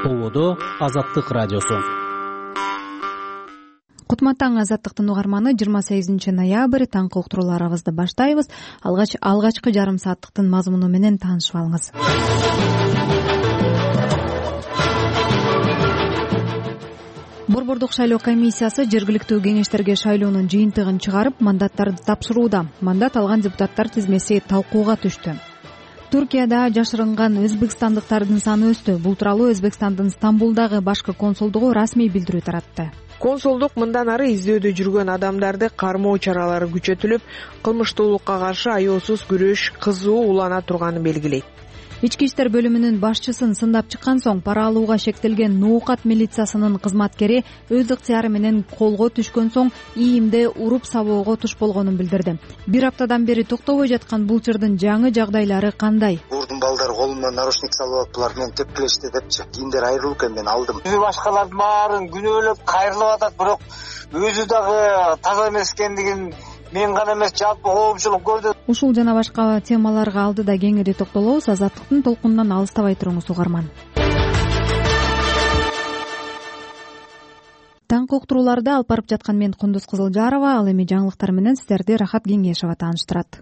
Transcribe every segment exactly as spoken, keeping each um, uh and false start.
Ободо Азаттык радиосу. Кутман таң, Азаттыктын угарманы. жыйырма сегизинчи ноябрь таңкы уктурууларыбызды баштайбыз. Алгач алгачкы жарым сааттыктын мазмуну менен таанышып алыңыз. Борбордук шайлоо комиссиясы жергиликтүү кеңештерге шайлоонун жыйынтыгын чыгарып, мандаттарды тапшырууда. Мандат алган депутаттар тизмеси талкууга түштү. Туркияда жашырынган өзбекстандыктардын саны өстү. Бул тууралуу Өзбекстандын Стамбулдагы башкы консулдугу расмий билдирүү таратты. Консулдук мындан ары издөөдө жүргөн адамдарды кармоо чаралары күчөтүлүп, кылмыштуулукка каршы аеосуз күрөш кызуу улана турганын белгилейт. Ички иштер бөлүмүнүн башчысын сындап чыккан соң пара алууга шектелген Ноокат милициясынын кызматкери өз ыктыяры менен колго түшкөн соң ИИМде уруп сабоого туш болгонун билдирди. Бир аптадан бери токтобой жаткан бул чырдын жаңы жагдайлары кандай? Урдун балдар колума наручник салып алыптылар, мен тепкилешти депчи. Кийиндер айрылып экен, мен алдым. Өзү башкалардын баарын күнөөлөп кайрылып атат, бирок өзү дагы таза эмес экендигин мен гана эмес, жалпы коомчулук көрдү. Ушул жана башка темаларга алдыда кеңири токтолобуз. Азаттыктын толкунунан алыстабай туруңуз угарман. Таңкы уктурууларды алып барып жаткан мен Кундуз Кызылжарова. Ал эми жаңылыктар менен сиздерди Рахат Кеңешова тааныштырат.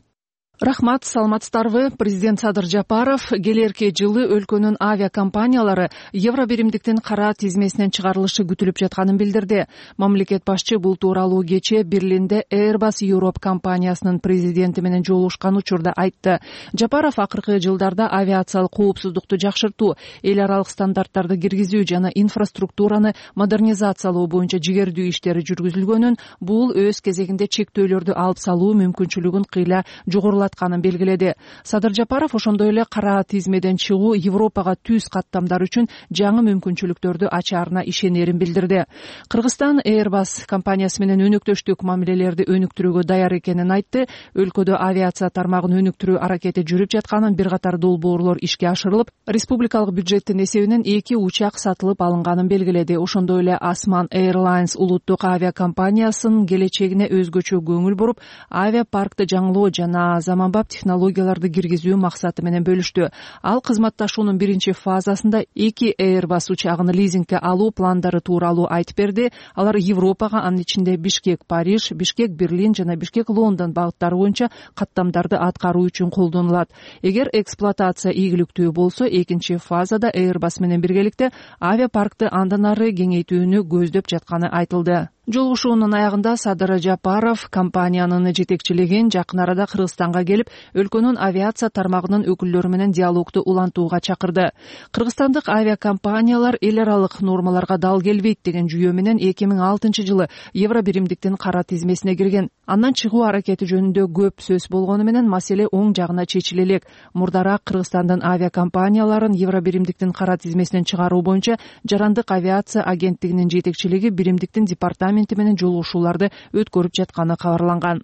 Рахмат, саламатсыздарбы? Президент Садыр Жапаров келерки жылы өлкөнүн авиакомпаниялары евро биримдиктин кара тизмесинен чыгарылышы күтүлүп жатканын билдирди. Мамлекет башчы бул тууралуу кечээ Берлинде Airbus Europe компаниясынын президенти менен жолугушкан учурда айтты. Жапаров акыркы жылдарда авиациялык коопсуздукту жакшыртуу, эл аралык стандарттарды киргизүү жана инфраструктураны модернизациялоо боюнча жигердүү иштери жүргүзүлгөнүн, бул өз кезегинде чектөөлөрдү алып салуу мүмкүнчүлүгүн кыйла жогорулатканын белгиледи. Садыр Жапаров ошондой эле кара тизмеден чыгуу Европага түз каттамдар үчүн жаңы мүмкүнчүлүктөрдү ачаарына ишенерин билдирди. Кыргызстан Airbus компаниясы менен өнөктөштүк мамилелерди өнүктүрүүгө даяр экенин айтты. Өлкөдө авиация тармагын өнүктүрүү аракети жүрүп жатканын, бир катар долбоорлор ишке ашырылып, республикалык бюджеттин эсебинен эки учак сатылып алынганын белгиледи. Ошондой эле Asman Airlines улуттук авиакомпаниясынын келечегине өзгөчө көңүл буруп, авиапаркты жаңылоо жана заманбап технологияларды киргизүү максаты менен бөлүштү. Ал кызматташуунун биринчи фазасында эки Airbus учагын лизингге алуу пландары тууралуу айтып берди. Алар Европага, анын ичинде Бишкек Париж, Бишкек Берлин жана Бишкек Лондон багыттары боюнча каттамдарды аткаруу үчүн колдонулат. Эгер эксплуатация ийгиликтүү болсо, экинчи фазада Airbus менен биргеликте авиапаркты андан ары кеңейтүүнү көздөп жатканы айтылды. Жолугушуунун аягында Садыр Жапаров компаниянын жетекчилигин жакын арада Кыргызстанга келип, өлкөнүн авиация тармагынын өкүлдөрү менен диалогду улантууга чакырды. Кыргызстандык авиакомпаниялар эл аралык нормаларга дал келбейт деген жүйө менен эки миң алтынчы жылы евро биримдиктин кара тизмесине кирген. Андан чыгуу аракети жөнүндө көп сөз болгону менен маселе оң жагына чечиле элек. Мурдараак Кыргызстандын авиакомпанияларын евро биримдиктин кара тизмесинен чыгаруу боюнча Жарандык авиация агенттигинин жетекчилиги биримдиктин департаменти менен жолугушууларды өткөрүп жатканы кабарланган.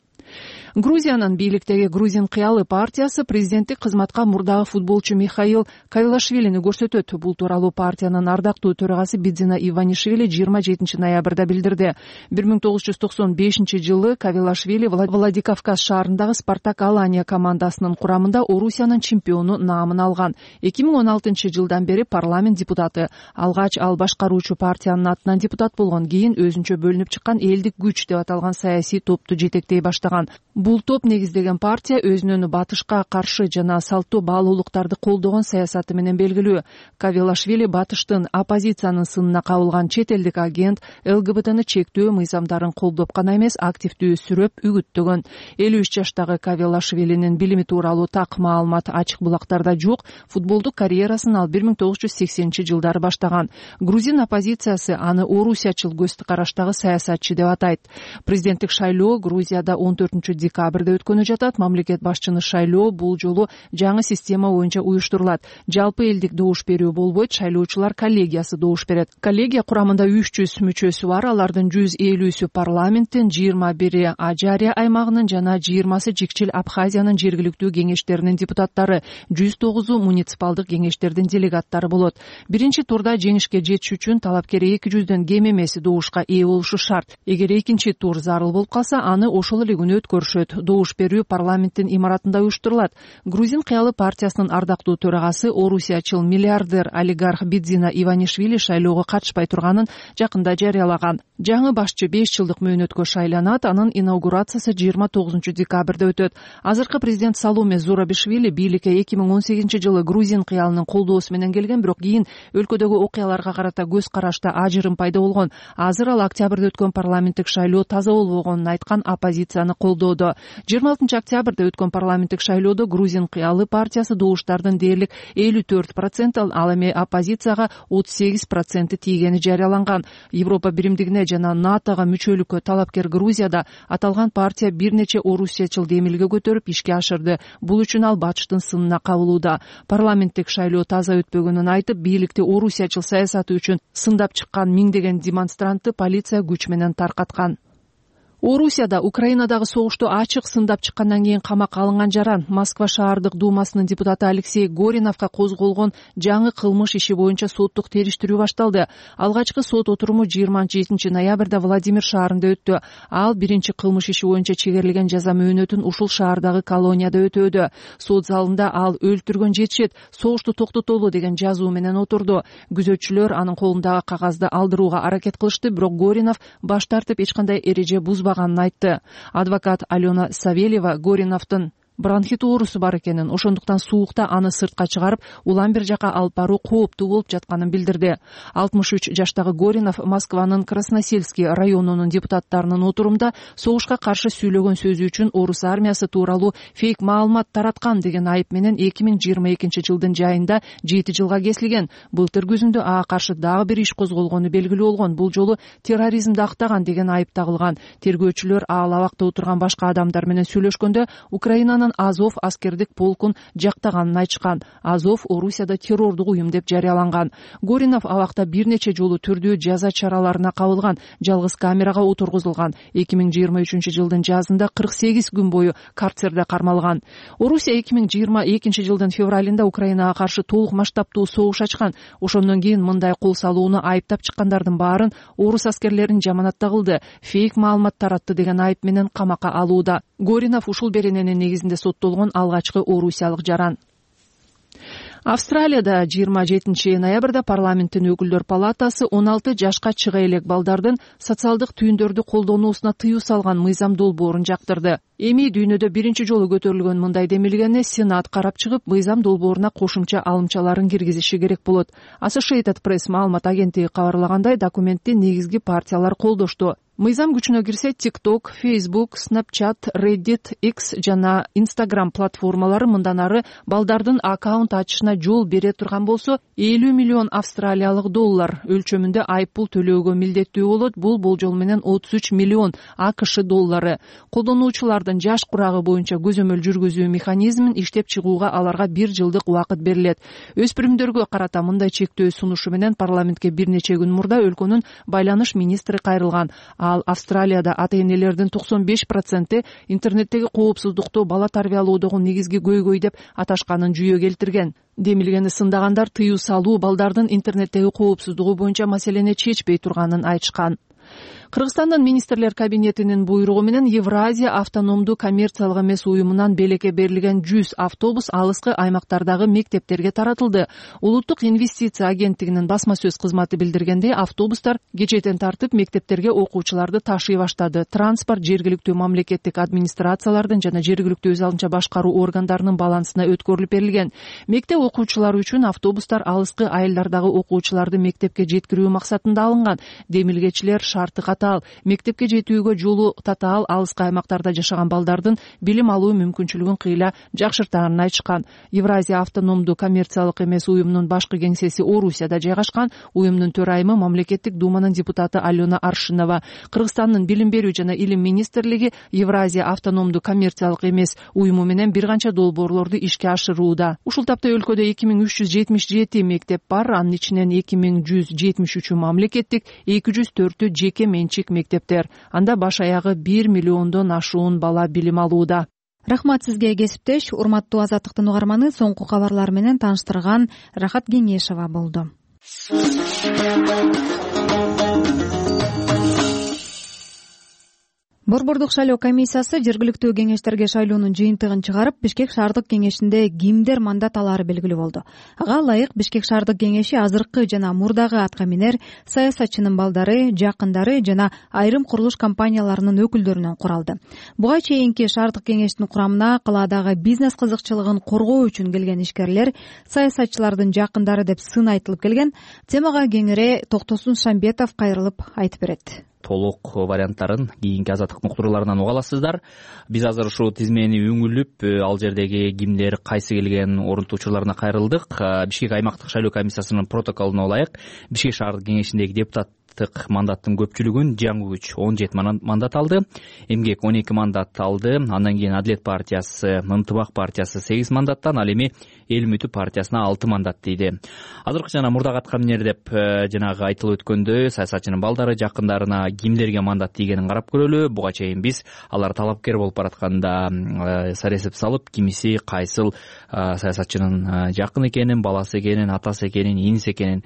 Грузиянын бийликтеги Грузин кыялы партиясы президенттик кызматка мурдагы футболчу Михаил Кавилашвилини көрсөтөт. Бул тууралуу партиянын ардактуу төрагасы Бидзина Иванишвили жыйырма жетинчи ноябрда билдирди. бир миң тогуз жүз токсон бешинчи жылы Кавилашвили Владикавказ шаарындагы Спартак Алания командасынын курамында Орусиянын чемпиону наамын алган. эки миң он алтынчы жылдан бери парламент депутаты. Алгач ал башкаруучу партиянын атынан депутат болгон, кийин өзүнчө бөлүнүп чыккан Элдик күч деп аталган саясий топту жетектей баштаган. Бул топ негиздеген партия өзүнүн батышка каршы жана салттуу баалуулуктарды колдогон саясаты менен белгилүү. Кавилашвили батыштын оппозициянын сынына кабылган чет элдик агент, ЛГБТны чектөө мыйзамдарын колдоп гана эмес, активдүү сүрөп үгүттөгөн. элүү үч жаштагы Кавилашвилинин билими тууралуу так маалымат ачык булактарда жок. Футболдук карьерасын ал бир миң тогуз жүз сексенинчи жылдары баштаган. Грузин оппозициясы аны орусиячыл көз караштагы саясатчы деп атайт. Президенттик шайлоо Грузияда он төртүнчү декабрда өткөнү жатат. Мамлекет башчыны шайлоо бул жолу жаңы система боюнча уюштурулат. Жалпы элдик добуш берүү болбойт, шайлоочулар коллегиясы добуш берет. Коллегия курамында үч жүз мүчөсү бар. Алардын жүз элүүсү парламенттин, жыйырма бири Ажария аймагынын жана жыйырмасы Жикчил Абхазиянын жергиликтүү кеңештеринин депутаттары, жүз тогузу муниципалдык кеңештердин делегаттары болот. Биринчи турда жеңишке жетиш үчүн талапкер эки жүздөн кем эмес добушка ээ болушу шарт. Эгер экинчи тур зарыл болуп калса, аны ошол эле күнү өткөрүшөт. Добуш берүү парламенттин имаратында уюштурулат. Грузин кыялы партиясынын ардактуу төрагасы, орусиячыл миллиардер олигарх Бидзина Иванишвили шайлоого катышпай турганын жакында жарыялаган. Жаңы башчы беш жылдык мөөнөткө шайланат. Анын инаугурациясы жыйырма тогузунчу декабрда өтөт. Азыркы президент Саломе Зурабишвили бийликке эки миң он сегизинчи жылы грузин кыялынын колдоосу менен келген, бирок кийин өлкөдөгү окуяларга карата көз карашта ажырым пайда болгон. Азыр ал октябрда өткөн парламенттик шайлоо таза болбогонун айткан, оппозицияны колдоодо. жыйырма алтынчы октябрда өткөн парламенттик шайлоодо грузин кыялы партиясы добуштардын дээрлик элүү төрт процент, ал эми оппозицияга отуз сегиз процент тийгени жарыяланган. Европа биримдигине жана натога мүчөлүккө талапкер Грузияда аталган партия бир нече орусиячыл демилге көтөрүп ишке ашырды. Бул үчүн ал бачтын сынына кабылууда. Парламенттик шайлоо таза өтпөгөнүн айтып, бийликти орусиячыл саясаты үчүн сындап чыккан миңдеген демонстрантты полиция күч менен таркаткан. Орусияда Украинадагы согушту ачык сындап чыккандан кийин камакка алынган жаран Москва шаардык думасынын депутаты Алексей Гориновго козголгон жаңы кылмыш иши боюнча соттук териштирүү башталды. Алгачкы сот отуруму жыйырма жетинчи ноябрда Владимир шаарында өттү. Ал биринчи кылмыш иши боюнча чегерилген жаза мөөнөтүн ушул шаардагы колонияда өтөөдө. Сот залында ал өлтүргөн жетишет, согушту токтотолу деген жазуу менен отурду. Күзөтчүлөр анын колундагы кагазды алдырууга аракет кылышты, бирок Горинов баш тартып эч кандай эреже бузбаган айтты. Адвокат Алена Савельева Гориновдун бронхит оорусу бар экенин, ошондуктан суукта аны сыртка чыгарып, улам бир жака алып баруу кооптуу болуп жатканын билдирди. алтымыш үч жаштагы Горинов Москванын Красносельский районунун депутаттарынын отурумда согушка каршы сүйлөгөн сөзү үчүн орус армиясы тууралуу фейк маалымат тараткан деген айып менен эки миң жыйырма экинчи жылдын жайында жети жылга кесилген. Былтыр күзүндө ага каршы дагы бир иш козголгону белгилүү болгон. Бул жолу терроризмди актаган деген айып тагылган. Тергөөчүлөр ал абакта отурган башка адамдар менен сүйлөшкөндө Украинанын Азов аскердик полкун жактаганын айтышкан. Азов Орусияда террордук уюм деп жарыяланган. Горинов абакта бир нече жолу түрдүү жаза чараларына кабылган, жалгыз камерага отургузулган. эки миң жыйырма үчүнчү жылдын жазында кырк сегиз күн бою карцерде кармалган. Орусия эки миң жыйырма экинчи жылдын февралында Украинага каршы толук масштабтуу согуш ачкан. Ошондон кийин мындай кол салууну айыптап чыккандардын баарын орус аскерлерин жаманатта кылды, фейк маалымат таратты деген айып менен камакка алууда. Горинов ушул берененин негизинде соттолгон алгачкы орусиялык жаран. Австралияда жыйырма жетинчи ноябрда парламенттин өкүлдөр палатасы он алты жашка чыга элек балдардын социалдык түйүндөрдү колдонуусуна тыюу салган мыйзам долбоорун жактырды. Эми дүйнөдө биринчи жолу көтөрүлгөн мындай демилгени Сенат карап чыгып, мыйзам долбооруна кошумча алымчаларын киргизиши керек болот. Associated Press маалымат агенттиги кабарлагандай, документти негизги партиялар колдошту. Мыйзам күчүнө кирсе, TikTok, Facebook, Snapchat, Reddit, X жана Instagram платформалары мындан ары балдардын аккаунт ачышына жол бере турган болсо, элүү миллион австралиялык доллар өлчөмүндө айыппул төлөөгө милдеттүү болот. Бул болжол менен отуз үч миллион АКШ доллары. Колдонуучулардын жаш курагы боюнча көзөмөл жүргүзүү механизмин иштеп чыгууга аларга бир жылдык убакыт берилет. Өспүрүмдөргө карата мындай чектөө сунушу менен парламентке бир нече күн мурда өлкөнүн байланыш министри кайрылган. Ал Австралияда ата-энелердин токсон беш проценти интернеттеги коопсуздукту бала тарбиялоодогу негизги көйгөй деп аташканын жүйө келтирген. Демилгени сындагандар тыюу салуу балдардын интернеттеги коопсуздугу боюнча маселени чечпей турганын айтышкан. Кыргызстандын министрлер кабинетинин буйругу менен Евразия автономдуу коммерциялык эмес уюмунан белекке берилген жүз автобус алыскы аймактардагы мектептерге таратылды. Улуттук инвестиция агенттигинин басма сөз кызматы билдиргендей, автобустар кечээден тартып мектептерге окуучуларды ташый баштады. Транспорт жергиликтүү мамлекеттик администрациялардын жана жергиликтүү өз алынча башкаруу органдарынын балансына өткөрүлүп берилген. Мектеп окуучулары үчүн автобустар алыскы айылдардагы окуучуларды мектепке жеткирүү максатында алынган. Демилгечилер шарты катуу. Мектепке жетүүгө жолу татаал алыскы аймактарда жашаган балдардын билим алуу мүмкүнчүлүгүн кыйла жакшыртаанын айтышкан. Евразия автономдуу коммерциялык эмес уюмунун башкы кеңсеси Орусияда жайгашкан. Уюмдун төрайымы мамлекеттик думанын депутаты Алена Аршинова. Кыргызстандын билим берүү жана илим министрлиги Евразия автономдуу коммерциялык эмес уюму менен бир канча долбоорлорду ишке ашырууда. Ушул тапта өлкөдө эки миң үч жүз жетимиш жети мектеп бар. Анын ичинен эки миң жүз жетимиш үчү мамлекеттик, эки жүз төртү жеке менчик мектептер. Анда баш аягы бир миллиондон ашуун бала билим алууда. Рахмат сизге, кесиптеш. Урматтуу Азаттыктын угарманы, соңку кабарлар менен тааныштырган Рахат Кеңешова болду. Борбордук шайлоо комиссиясы жергиликтүү кеңештерге шайлоонун жыйынтыгын чыгарып, Бишкек шаардык кеңешинде кимдер мандат алаары белгилүү болду. Ага ылайык Бишкек шаардык кеңеши азыркы жана мурдагы аткаминер, саясатчынын балдары, жакындары жана айрым курулуш компанияларынын өкүлдөрүнөн куралды. Буга чейинки шаардык кеңештин курамына калаадагы бизнес кызыкчылыгын коргоо үчүн келген ишкерлер, саясатчылардын жакындары деп сын айтылып келген. Темага кеңири Токтосун Шамбетов кайрылып айтып берет. Толук варианттарын кийинки азаттыктын уктурууларынан уга аласыздар. Биз азыр ушул тизмени өңүлүп, ал жердеги кимдер кайсы келген орунтуу учурларына кайрылдык. Бишкек аймактык шайлоо комиссиясынын протоколуна ылайык Бишкек шаардык кеңешиндеги депутат мандаттын көпчүлүгүн жаңы күч он жети мандат алды, эмгек он эки мандат алды, андан кийин Адлет партиясы, Ынтымак партиясы сегиз мандаттан, ал эми Эл үмүтү партиясына алты мандат тийди. Азыркы жана мурдагы аткаминер деп жанагы айтылып өткөндөй, саясатчынын балдары, жакындарына кимдерге мандат тийгенин карап көрөлү. Буга чейин биз алар талапкер болуп баратканда саресеп салып, кимиси кайсыл саясатчынын жакын экенин, баласы экенин, атасы экенин, иниси экенин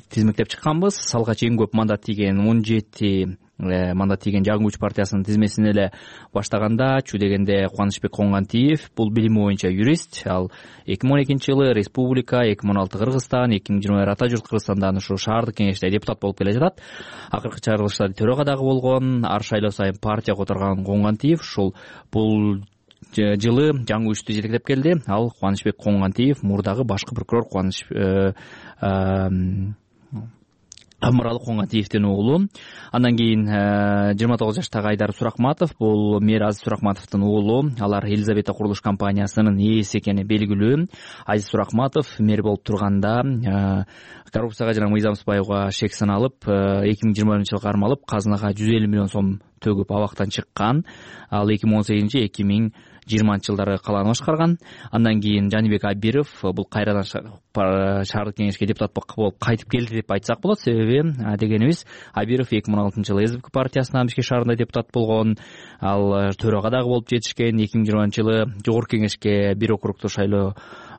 тизмектеп чыкканбыз. Салга чейин көп мандат тийген он жети мандат тийген жаңы күч партиясынын тизмесин эле баштаганда чу дегенде Кубанычбек Коңгантиев, бул билими боюнча юрист, ал эки миң он экинчи жылы республика, эки миң он алты Кыргызстан, эки миң жыйырма бир Ата журт Кыргызстандан ушу шаардык кеңеште депутат болуп келе жатат. Акыркы чыгарылыштарда төрага дагы болгон, ар шайлоо сайын партия которгон Коңгантиев ушул бул жылы жаңы күчтү жетектеп келди. Ал Кубанычбек Коңгантиев мурдагы башкы прокурор Кубаныч Амыралы Коңгантиевдин уулу. Андан кийин жыйырма тогуз жаштагы Айдар Суракматов, бул мэр Азиз Суракматовдун уулу. Алар Елизавета курулуш компаниясынын ээси экени белгилүү. Азиз Суракматов мэр болуп турганда коррупцияга жана мыйзам сыбайга шек саналып, эки миң жыйырма биринчи жылы кармалып, казынага жүз элүү миллион сом төгүп абактан чыккан. Ал эки миң он сегизинчи эки миң жыйырманчы жылдары калааны башкарган. Андан кийин Жанибек Абиров, бул кайрадан шаардык кеңешке депутат болуп кайтып келди деп айтсак болот. Себеби дегенибиз, Абиров эки миң он алтынчы жылы СБК партиясынан Бишкек шаарында депутат болгон. Ал төрага дагы болуп жетишкен. эки миң жыйырманчы жылы жогорку кеңешке бир округтуу шайлоо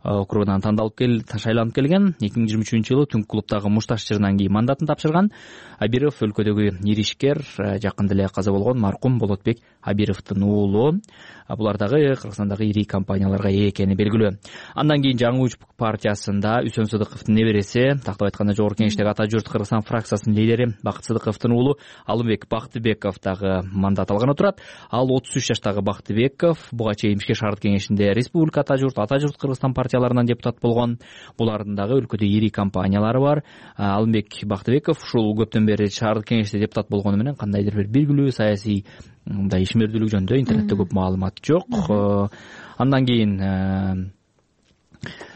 округунан тандалып кел, шайланып келген. эки миң жыйырма үчүнчү жылы Түнк клубдагы мушташ жырынан кийин мандатын тапшырган. Абиров өлкөдөгү ири ишкер, жакында эле каза болгон маркум Болотбек Абировдун уулу. Булар дагы Кыргызстандагы ири компанияларга ээ экени белгилүү. Андан кийин жаңы күч партиясында Үсөн Сыдыковдун небереси, тактап айтканда жогорку кеңештеги Ата журт Кыргызстан фракциясынын лидери Бакыт Сыдыковдун уулу Алымбек Бактыбеков дагы мандат алган отурат. Ал отуз үч жаштагы Бактыбеков буга чейин Бишкек шаардык кеңешинде Республика Ата журт, Ата журт Кыргызстан партияларынан депутат болгон. Булардын дагы өлкөдө ири компаниялары бар. Алымбек Бактыбеков ушул көптөн бери шаардык кеңеште депутат болгону менен кандайдыр бир белгилүү саясий мындай ишмердүүлүк жөнүндө интернетте көп маалымат жок. Андан кийин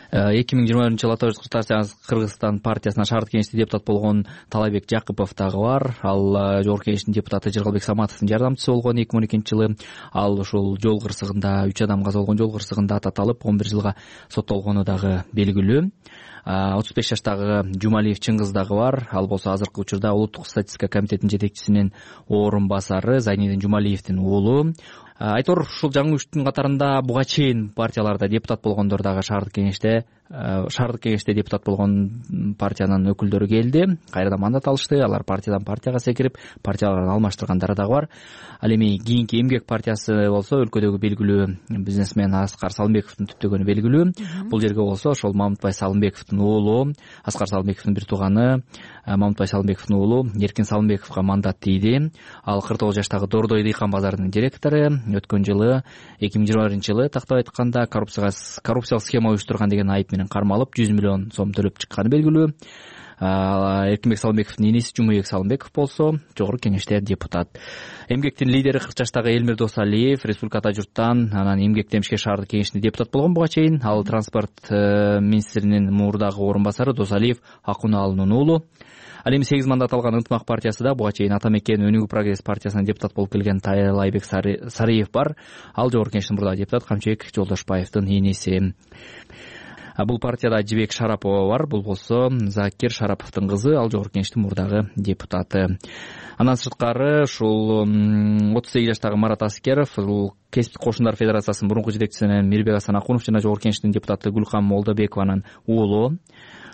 эки миң жыйырма биринчи жылы Ата журт Кыргызстан партиясына шаардык кеңеште депутат болгон Талайбек Жакыпов дагы бар. Ал жогорку кеңештин депутаты Жыргалбек Саматовдун жардамчысы болгон эки миң он экинчи жылы. Ал ушул жол кырсыгында үч адам каза болгон жол кырсыгында ататалып он бир жылга соттолгону дагы белгилүү. отуз беш жаштагы Жумалиев Чыңгыз дагы бар. Ал болсо азыркы учурда улуттук статистика комитетинин жетекчисинин орун басары Зайнидин Жумалиевдин уулу. Айтор ушул жаңы күчтүн катарында буга чейин партияларда депутат болгондор дагы шаардык кеңеште шаардык кеңеште депутат болгон партиянын өкүлдөрү келди. Кайрадан мандат алышты. Алар партиядан партияга секирип, партияларын алмаштыргандары дагы бар. Ал эми кийинки Эмгек партиясы болсо өлкөдөгү белгилүү бизнесмен Аскар Салымбековдун түптөгөнү белгилүү. Бул жерге болсо ошол Мамытбай Салымбековдун уулу, Аскар Салымбековдун бир тууганы Мамытбай Салымбековдун уулу Эркин Салымбековго мандат тийди. Ал кырк тогуз жаштагы Дордой дыйкан базарынын директору. Өткөн жылы эки миң жыйырма биринчи жылы тактап айтканда коррупцияга коррупциялык схема уюштурган деген айып менен кармалып жүз миллион сом төлөп чыкканы белгилүү. Эркинбек Салымбековдун иниси Жумабек Салымбеков болсо жогорку кеңеште депутат. Эмгектин лидери кырк жаштагы Элмир Досалиев Республика Ата журттан, анан Эмгектен Бишкек шаардык кеңешинде депутат болгон буга чейин. Ал транспорт министринин мурдагы орун басары Досалиев Акунаалынын уулу. Ал эми сегиз мандат алган Ынтымак партиясы да буга чейин Ата Мекен Өнүгүү прогресс партиясынан депутат болуп келген Тайлайбек Сариев бар. Ал жогорку кеңештин мурдагы депутат Камчыбек Жолдошбаевдин иниси. Бул партияда Жибек Шарапова бар. Бул болсо Закир Шараповдун кызы. Ал жогорку кеңештин мурдагы депутаты. Андан сырткары ушул отуз сегиз жаштагы Марат Аскеров, бул Кесиптик кошундар федерациясынын мурунку жетекчиси Мирбек Асан Акунов жана жогорку кеңештин депутаты Гүлкам Молдобекованын уулу.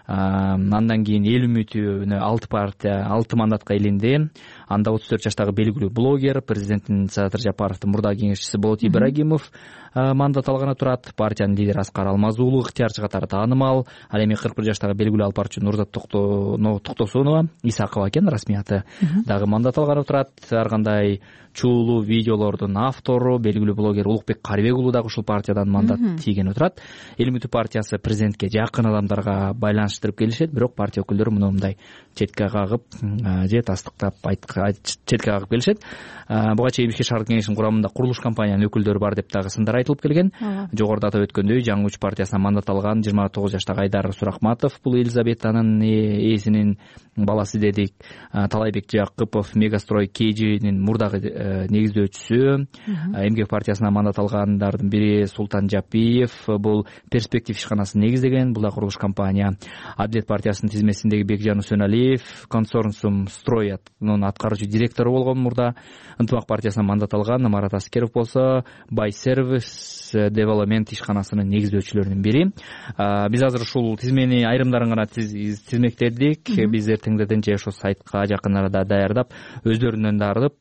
Андан кийин эл үмүтүнө алты партия алты мандатка илинди. Анда отуз төрт жаштагы белгилүү блогер, президенттин Садыр Жапаровдун мурдагы кеңешчиси Болот Ибрагимов мандат алганы турат. Партиянын лидери Аскар Алмазуулу ыктыярчы катары таанымал. Ал эми кырк бир жаштагы белгилүү алпарчы Нурзат Токтосунова, Исакова экен расмий аты, дагы мандат алганы турат. Ар кандай чуулуу видеолордун автору белгилүү блогер Улукбек Карыбек уулу дагы ушул партиядан мандат тийгени турат. Эл үмүтү партиясы президентке жакын адамдарга байланыштырып келишет, бирок партия өкүлдөрү муну мындай четке кагып же тастыктап четке кагып келишет. Буга чейин Бишкек шаардык кеңешинин курамында курулуш компаниянын өкүлдөрү бар деп дагы сындар айтылып келген. Жогоруда атап өткөндөй, жаңы үч партиясына мандат алган жыйырма тогуз жаштагы Айдар Суракматов, бул Елизаветанын ээсинин баласы дедик. Талайбек Жакыпов, Мегастрой Кежинин мурдагы негиздөөчүсү. Эмгек партиясына мандат алгандардын бири Султан Жапиев, бул Перспектив ишканасын негиздеген, бул да курулуш компания. Адилет партиясынын тизмесиндеги Бекжан Усеналиев, Консорциум Строятнын аткаруучу директору болгон мурда. Ынтымак партиясына мандат алган Марат Аскеров болсо Бай Сервис Девелопмент ишканасынын негиздөөчүлөрүнүн бири. Биз азыр ушул тизмени айрымдарын гана тизмектедик. Биз эртеңдерден же ошо сайтка жакын арада даярдап, өздөрүнөн дарып,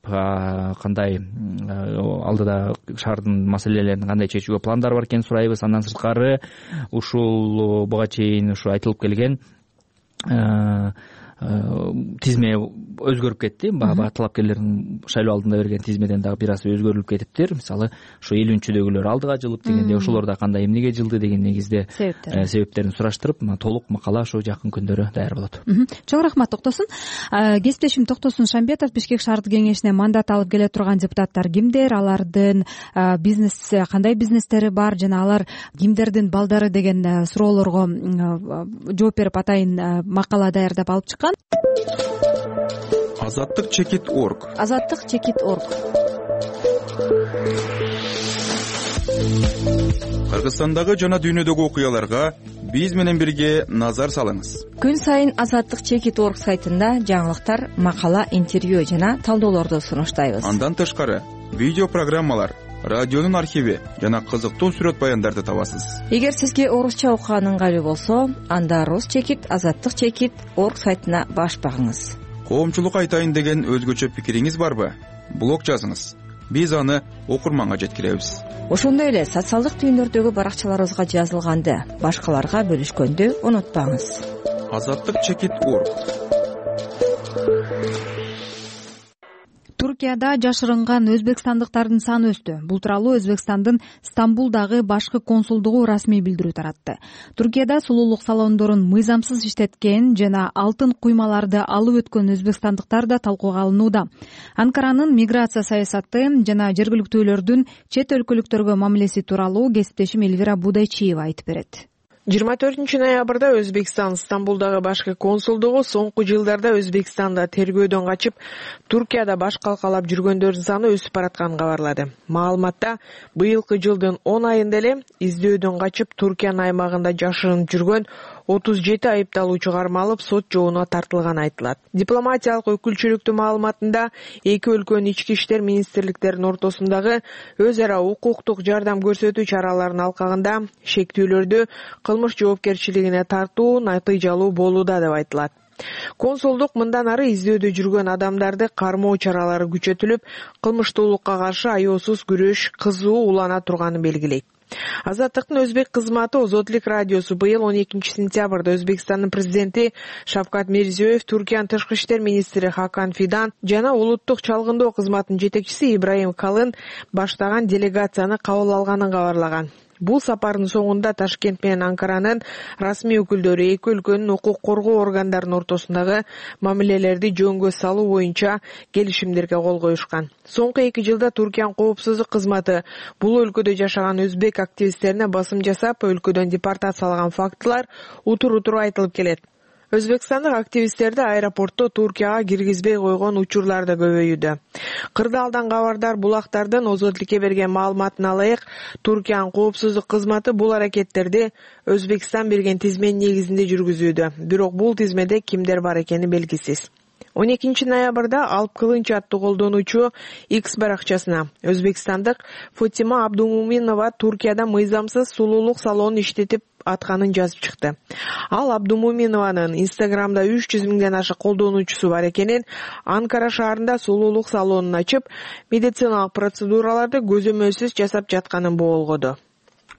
кандай алдыда шаардын маселелерин кандай чечүүгө пландары бар экенин сурайбыз. Андан сырткары ушул буга чейин ушу айтылып келген тизме өзгөрүп кетти. Баягы талапкерлердин шайлоо алдында берген тизмеден дагы бир аз өзгөрүлүп кетиптир. Мисалы, ушу элүүнчүдөгүлөр алдыга жылып дегенде, ошолор да кандай эмнеге жылды деген негизде себептерин сураштырып, толук макала ошо жакын күндөрү даяр болот. Чоң рахмат, Токтосун. Кесиптешим Токтосун Шамбетов, Бишкек шаардык кеңешине мандат алып келе турган депутаттар кимдер, алардын бизнес кандай бизнестери бар жана алар кимдердин балдары деген суроолорго жооп берип атайын макала даярдап алып чыккан. Азаттык чекит орг. Азаттык чекит орг. Кыргызстандагы жана дүйнөдөгү окуяларга биз менен бирге назар салыңыз. Күн сайын Азаттык чекит орг сайтында жаңылыктар, макала, интервью жана талдоолорду сунуштайбыз. Андан тышкары видео программалар, радионун архиви жана кызыктуу сүрөт баяндарды табасыз. Эгер сизге орусча окуган ыңгайлуу болсо, анда Рус чекит Азаттык чекит орг сайтына баш багыңыз. Коомчулукка айтайын деген өзгөчө пикириңиз барбы? Блог жазыңыз. Биз аны окурманга жеткиребиз. Ошондой эле социалдык түйүндөрдөгү баракчаларыбызга жазылганды башкаларга бөлүшкөндү унутпаңыз. Азаттык чекит орг. Туркияда жашырынган өзбекстандыктардын саны өстү. Бул тууралуу Өзбекстандын Стамбулдагы башкы консулдугу расмий билдирүү таратты. Туркияда сулуулук салондорун мыйзамсыз иштеткен жана алтын куймаларды алып өткөн өзбекстандыктар да талкууга алынууда. Анкаранын миграция саясаты жана жергиликтүүлөрдүн чет өлкөлүктөргө мамилеси тууралуу кесиптешим Элвира Будайчиева айтып берет. жыйырма төртүнчү ноябрда Өзбекстан Стамбулдагы башкы консулдугу соңку жылдарда Өзбекстанда тергөөдөн качып, Туркияда баш калкалап жүргөндөрдүн саны өсүп баратканын кабарлады. Маалыматта быйылкы жылдын он айында эле издөөдөн качып Туркиянын аймагында жашырынып жүргөн отуз жети айыпталуучу кармалып, сот жообуна тартылганы айтылат. Дипломатиялык өкүлчүлүктүн маалыматында эки өлкөнүн ички иштер министрликтеринин ортосундагы өз ара укуктук жардам көрсөтүү чараларынын алкагында шектүүлөрдү кылмыш жоопкерчилигине тартуу натыйжалуу болууда деп айтылат. Консулдук мындан ары издөөдө жүргөн адамдарды кармоо чаралары күчөтүлүп, кылмыштуулукка каршы аеосуз күрөш кызуу улана турганын белгилейт. Азаттыктын өзбек кызматы Озотлик радиосу быйыл он экинчи сентябрда Өзбекстандын президенти Шавкат Мирзиёев, Туркиянын тышкы иштер министри Хакан Фидан жана улуттук чалгындоо кызматынын жетекчиси Ибраим Калын баштаган делегацияны кабыл алганын кабарлаган. Бул сапардын соңунда Ташкент менен Анкаранын расмий өкүлдөрү эки өлкөнүн укук коргоо органдарынын ортосундагы мамилелерди жөнгө салуу боюнча келишимдерге кол коюшкан. Соңку эки жылда Туркиянын коопсуздук кызматы бул өлкөдө жашаган өзбек активисттерине басым жасап, өлкөдөн депортациялаган фактылар утур-утур айтылып келет. Өзбекстандык активисттерди аэропортто Туркияга киргизбей койгон учурлар да көбөйүүдө. Кырдаалдан кабардар булактардын Озотликке берген маалыматына ылайык, Туркиянын коопсуздук кызматы бул аракеттерди Өзбекстан берген тизменин негизинде жүргүзүүдө. Бирок бул тизмеде кимдер бар экени белгисиз. он экинчи ноябрда Алп Кылынч аттуу колдонуучу X баракчасына Өзбекстандык Фатима Абдумуминова Туркияда мыйзамсыз сулуулук салонун иштетип атканын жазып чыкты. Ал Абдумуминованын Инстаграмда үч жүз миңден ашык колдонуучусу бар экенин, Анкара шаарында сулуулук салонун ачып, медициналык процедураларды көзөмөлсүз жасап жатканын болгоду.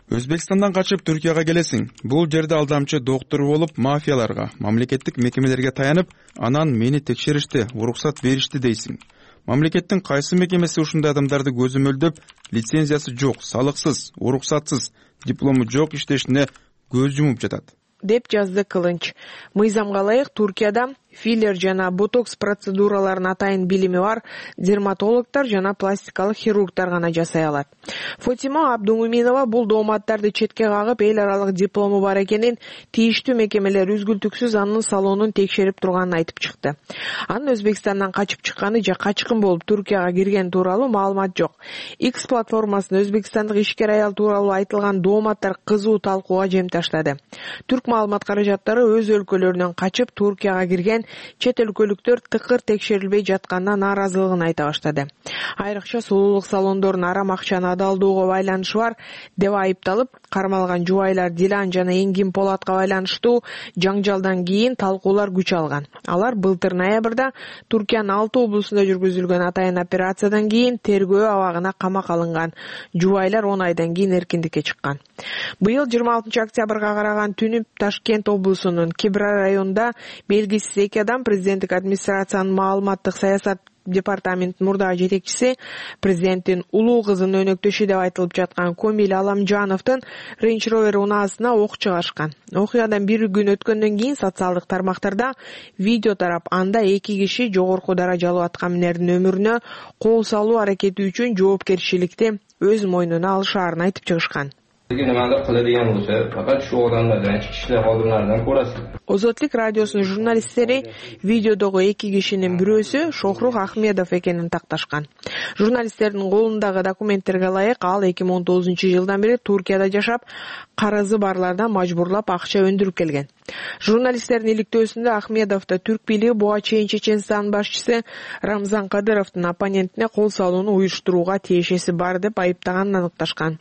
Өзбекстандан качып Түркияга келесиң. Бул жерде алдамчы доктор болуп, мафияларга, мамлекеттик мекемелерге таянып, анан мени текшеришти, уруксат беришти дейсиң. Мамлекеттин кайсы мекемеси ушундай адамдарды көзөмөлдөп, лицензиясы жок, салыксыз, уруксатсыз, диплому жок иштешине көз жумуп жатат, деп жазды Кылынч. Мыйзамга ылайык Туркияда филлер жана ботокс процедураларын атайын билими бар дерматологдор жана пластикалык хирургдар гана жасай алат. Фотима Абдумуминова бул дооматтарды четке кагып, эл аралык диплому бар экенин, тийиштүү мекемелер үзгүлтүксүз анын салонун текшерип турганын айтып чыкты. Анын Өзбекстандан качып чыкканы же качкын болуп Туркияга кирген тууралуу маалымат жок. X платформасында өзбекстандык ишкер аял тууралуу айтылган дооматтар кызуу талкууга жем таштады. Түрк маалымат каражаттары өз өлкөлөрүнөн качып Туркияга кирген чет өлкөлүктөр тыкыр текшерилбей жатканына нааразылыгын айта баштады. Айрыкча сулуулук салондорунун арам акчаны адалдоого байланышы бар деп айыпталып, кармалган жубайлар Дилан жана Энгин Полатка байланыштуу жаңжалдан кийин талкуулар күч алган. Алар былтыр ноябрда Туркиянын алты облусунда жүргүзүлгөн атайын операциядан кийин тергөө абагына камакка алынган. Жубайлар он айдан кийин эркиндикке чыккан. Быйыл жыйырма алтынчы октябрга караган түнү Ташкент облусунун Кибра районунда белгисиз эки адам президенттик администрациянын маалыматтык саясат департаментинин мурдагы жетекчиси, президенттин улуу кызынын өнөктөшү деп айтылып жаткан Комил Аламжановдун Range Rover унаасына ок чыгарышкан. Окуядан бир күн өткөндөн кийин социалдык тармактарда видео тарап, анда эки киши жогорку даражалуу аткаминердин өмүрүнө кол салуу аракети үчүн жоопкерчиликти өз мойнуна алышаарын айтып чыгышкан. Озотлук радиосунун журналисттери видеодогу эки кишинин бирөөсү Шохрух Ахмедов экенин такташкан. Журналисттердин колундагы документтерге ылайык, ал эки миң он тогузунчу жылдан бери Туркияда жашап, карызы барлардан мажбурлап акча өндүрүп келген. Журналисттердин иликтөөсүндө Ахмедовду түрк бийлиги буга чейин Чеченстанын башчысы Рамзан Кадыровдун оппонентине кол салууну уюштурууга тиешеси бар деп айыптаганын аныкташкан.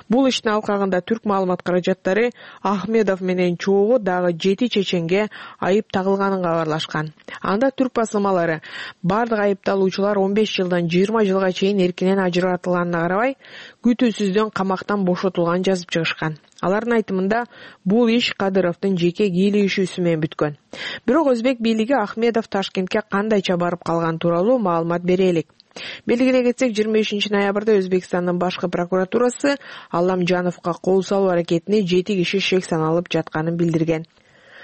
Бул иштин алкагында түрк маалымат каражаттары Ахмедов менен чогуу дагы жети чеченге айып тагылганын кабарлашкан. Анда түрк басылмалары бардык айыпталуучулар он беш жылдан жыйырма жылга чейин эркинен ажыратылганына карабай, күтүүсүздөн камактан бошотулганын жазып чыгышкан. Алардын айтымында бул иш Кадыровдун жеке кийлигишүүсү менен бүткөн. Бирок өзбек бийлиги Ахмедов Ташкентке кандайча барып калган тууралуу маалымат бере элек. Белгилей кетсек, жыйырма бешинчи ноябрда Өзбекстандын башкы прокуратурасы Аламжановго кол салуу аракетине жети киши шек саналып жатканын билдирген.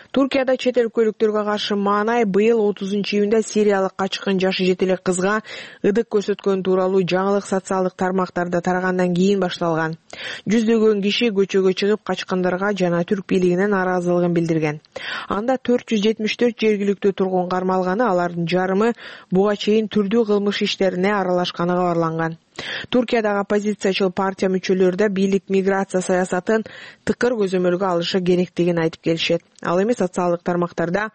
Туркияда чет өлкөлүктөргө каршы маанай быйыл отузунчу июнда сириялык качкын жашы жете элек кызга ыдык көрсөткөн тууралуу жаңылык социалдык тармактарда тарагандан кийин башталган. Жүздөгөн киши көчөгө чыгып качкындарга жана түрк бийлигине нааразылыгын билдирген. Анда төрт жүз жетимиш төрт жергиликтүү тургун кармалганы, алардын жарымы буга чейин түрдүү кылмыш иштерине аралашканы кабарланган. Туркиядагы оппозициячыл партия мүчөлөрү да бийлик миграция саясатын тыкыр көзөмөлгө алышы керектигин айтып келишет. Ал эми социалдык тармактарда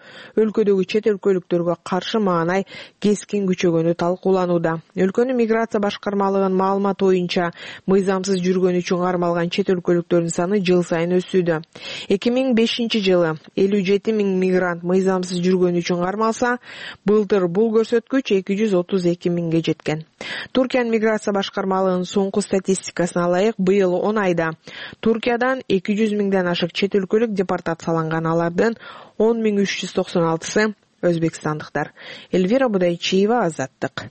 өлкөдөгү чет өлкөлүктөргө каршы маанай кескин күчөгөнү талкууланууда. Өлкөнүн миграция башкармалыгынын маалыматы боюнча, мыйзамсыз жүргөнү үчүн кармалган чет өлкөлүктөрдүн саны жыл сайын өсүүдө. эки миң бешинчи жылы элүү жети миң мигрант мыйзамсыз жүргөнү үчүн кармалса, былтыр бул көрсөткүч эки жүз отуз эки миңге жеткен. Туркиянын миграция башкармалыгынын соңку статистикасына ылайык, быйыл он айда Туркиядан эки жүз миңден ашык чет өлкөлүк депортацияланган. Алардын он миң үч жүз токсон алтысы өзбекстандыктар. Эльвира Будайчиева, Азаттык.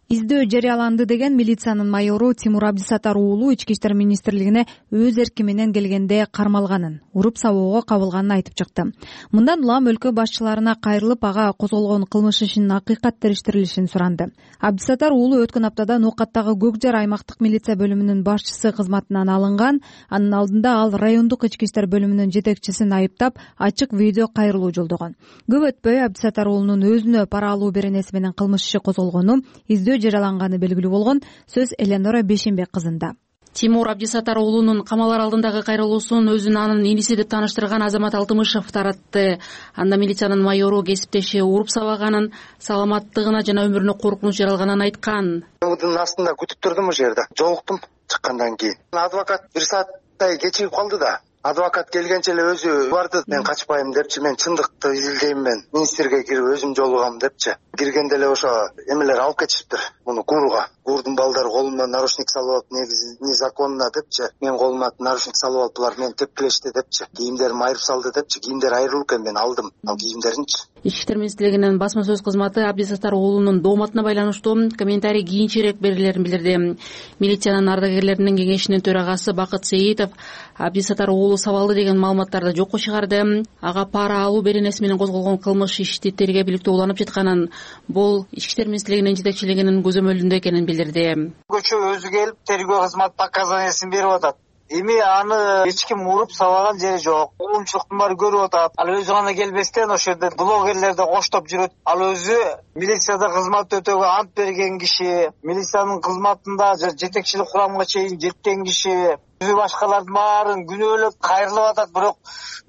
Издөө жарыяланды деген милициянын майору Тимур Абдисатар уулу ички иштер министрлигине өз эрки менен келгенде кармалганын, уруп сабоого кабылганын айтып чыкты. Мындан улам өлкө башчыларына кайрылып, ага козголгон кылмыш ишинин акыйкат териштирилишин суранды. Абдисатар уулу өткөн аптада Нокаттагы Көк Жар аймактык милиция бөлүмүнүн башчысы кызматынан алынган. Анын алдында ал райондук ички иштер бөлүмүнүн жетекчисин айыптап, ачык видео кайрылуу жолдогон. Көп өтпөй Абдисатар уулунун өзүнө пара алуу беренеси менен кылмыш иши козголгону, издөө жараланганы белгилүү болгон. Сөз Эленора Бешенбек кызында. Тимур Абдисаттар уулунун камалар алдындагы кайрылуусун өзүн анын иниси деп тааныштырган Азамат Алтымышев таратты. Анда милициянын майору кесиптеши уруп сабаганын, саламаттыгына жана өмүрүнө коркунуч жаралганын айткан. Мынын астында күтүп турдум, ошол жерде жолуктум. Чыккандан кийин адвокат бир сааттай кечигип калды да. Адвокат келгенче эле өзү барды. Мен качпайм депчи, мен чындыкты изилдейм, мен министрге кирип өзүм жолугам депчи. Киргенде эле ошо эмелер алып кетишиптир муну гурга. Гурдун балдары колума наручник салып алып, негизи незаконно депчи. Мен колума наручник салып алып, булар мени тепкилешти депчи. Кийимдерим айырып салды депчи. Кийимдер айрылып экен, мен алдым ал кийимдеринчи. Ички иштер министрлигинин басма сөз кызматы Абдисаттар уулунун дооматына байланыштуу комментарий кийинчерээк берилерин билдирди. Милициянын ардагерлеринин кеңешинин төрагасы Бакыт Сейитов Абдисаттар уулу сабалды деген маалыматтарды жокко чыгарды. Ага пара алуу беренеси менен козголгон кылмыш ишти тергөө уланып жатканын, бул ички иштер министрлигинин жетекчилигинин көзөмөлүндө экенин билдирди. Көчө өзү келип тергөө кызмат показаниясын берип атат. Эми аны эч ким уруп сабаган жери жок. Коомчулуктун баары көрүп атат. Ал өзү гана келбестен ошол жерде блогерлерди коштоп жүрөт. Ал өзү милицияда кызмат өтөөгө ант берген киши, милициянын кызматында жетекчилик курамга чейин жеткен киши. Өзү башкалардын баарын күнөөлөп кайрылып атат, бирок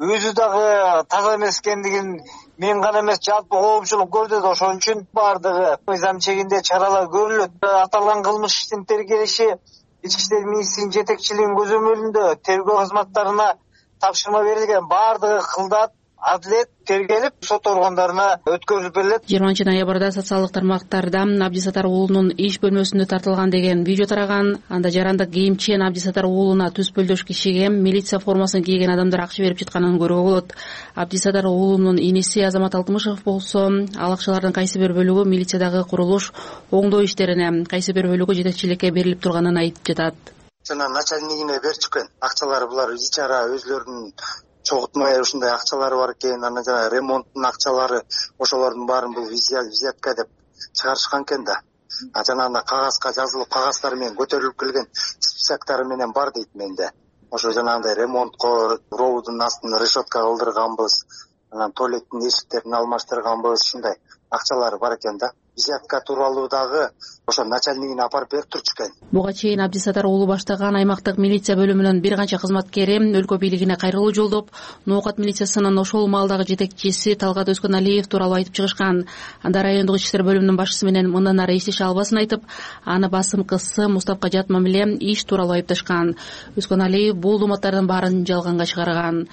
өзү дагы таза эмес экендигин мен гана эмес, жалпы коомчулук көрдү да, ошон үчүн баардыгы мыйзам чегинде чаралар көрүлөт. Аталган кылмыш иштин тергелиши ички иштер министринин жетекчилигинин көзөмөлүндө тергөө кызматтарына тапшырма берилген. Баардыгы кылдат, адилет тергелип сот органдарына өткөрүлүп берилет. жыйырманчы ноябрда социалдык тармактарда Абдисаттар уулунун иш бөлмөсүндө тартылган деген видео тараган. Анда жарандык кийимчен Абдисаттар уулуна түз пөлдөш кишиге милиция формасын кийген адамдар акча берип жатканын көрүүгө болот. Абдисаттар уулунун иниси Азамат Алтымышев болсо, ал акчалардын кайсы бир бөлүгү милициядагы курулуш оңдоо иштерине, кайсы бир бөлүгү жетекчиликке берилип турганын айтып жатат. Жана начальнигине берчү экен. Акчалары булар ичара өзлөрүнүн чогултмай ушундай акчалары бар экен, анан жана ремонттун акчалары, ошолордун баарын бул взятка деп чыгарышкан экен да. А жана анда кагазга жазылып, кагаздары менен көтөрүлүп келген списоктары менен бар дейт менде. Ошо жанагындай ремонтко ровдун астын решетка кылдырганбыз, анан туалеттин эшиктерин алмаштырганбыз, ушундай акчалары бар экен да. Взятка тууралуу дагы ошо начальнигине апарып берип турчу экен. Буга чейин Абдисаттар уулу баштаган аймактык милиция бөлүмүнүн бир канча кызматкери өлкө бийлигине кайрылуу жолдоп, Ноокат милициясынын ошол маалдагы жетекчиси Талгат Өскөналиев тууралуу айтып чыгышкан. Анда райондук ички иштер бөлүмүнүн башчысы менен мындан ары иштеше албасын айтып, аны басым кысым, уставка жат мамиле, иш тууралуу айыпташкан. Өскөналиев бул дооматтардын баарын жалганга чыгарган.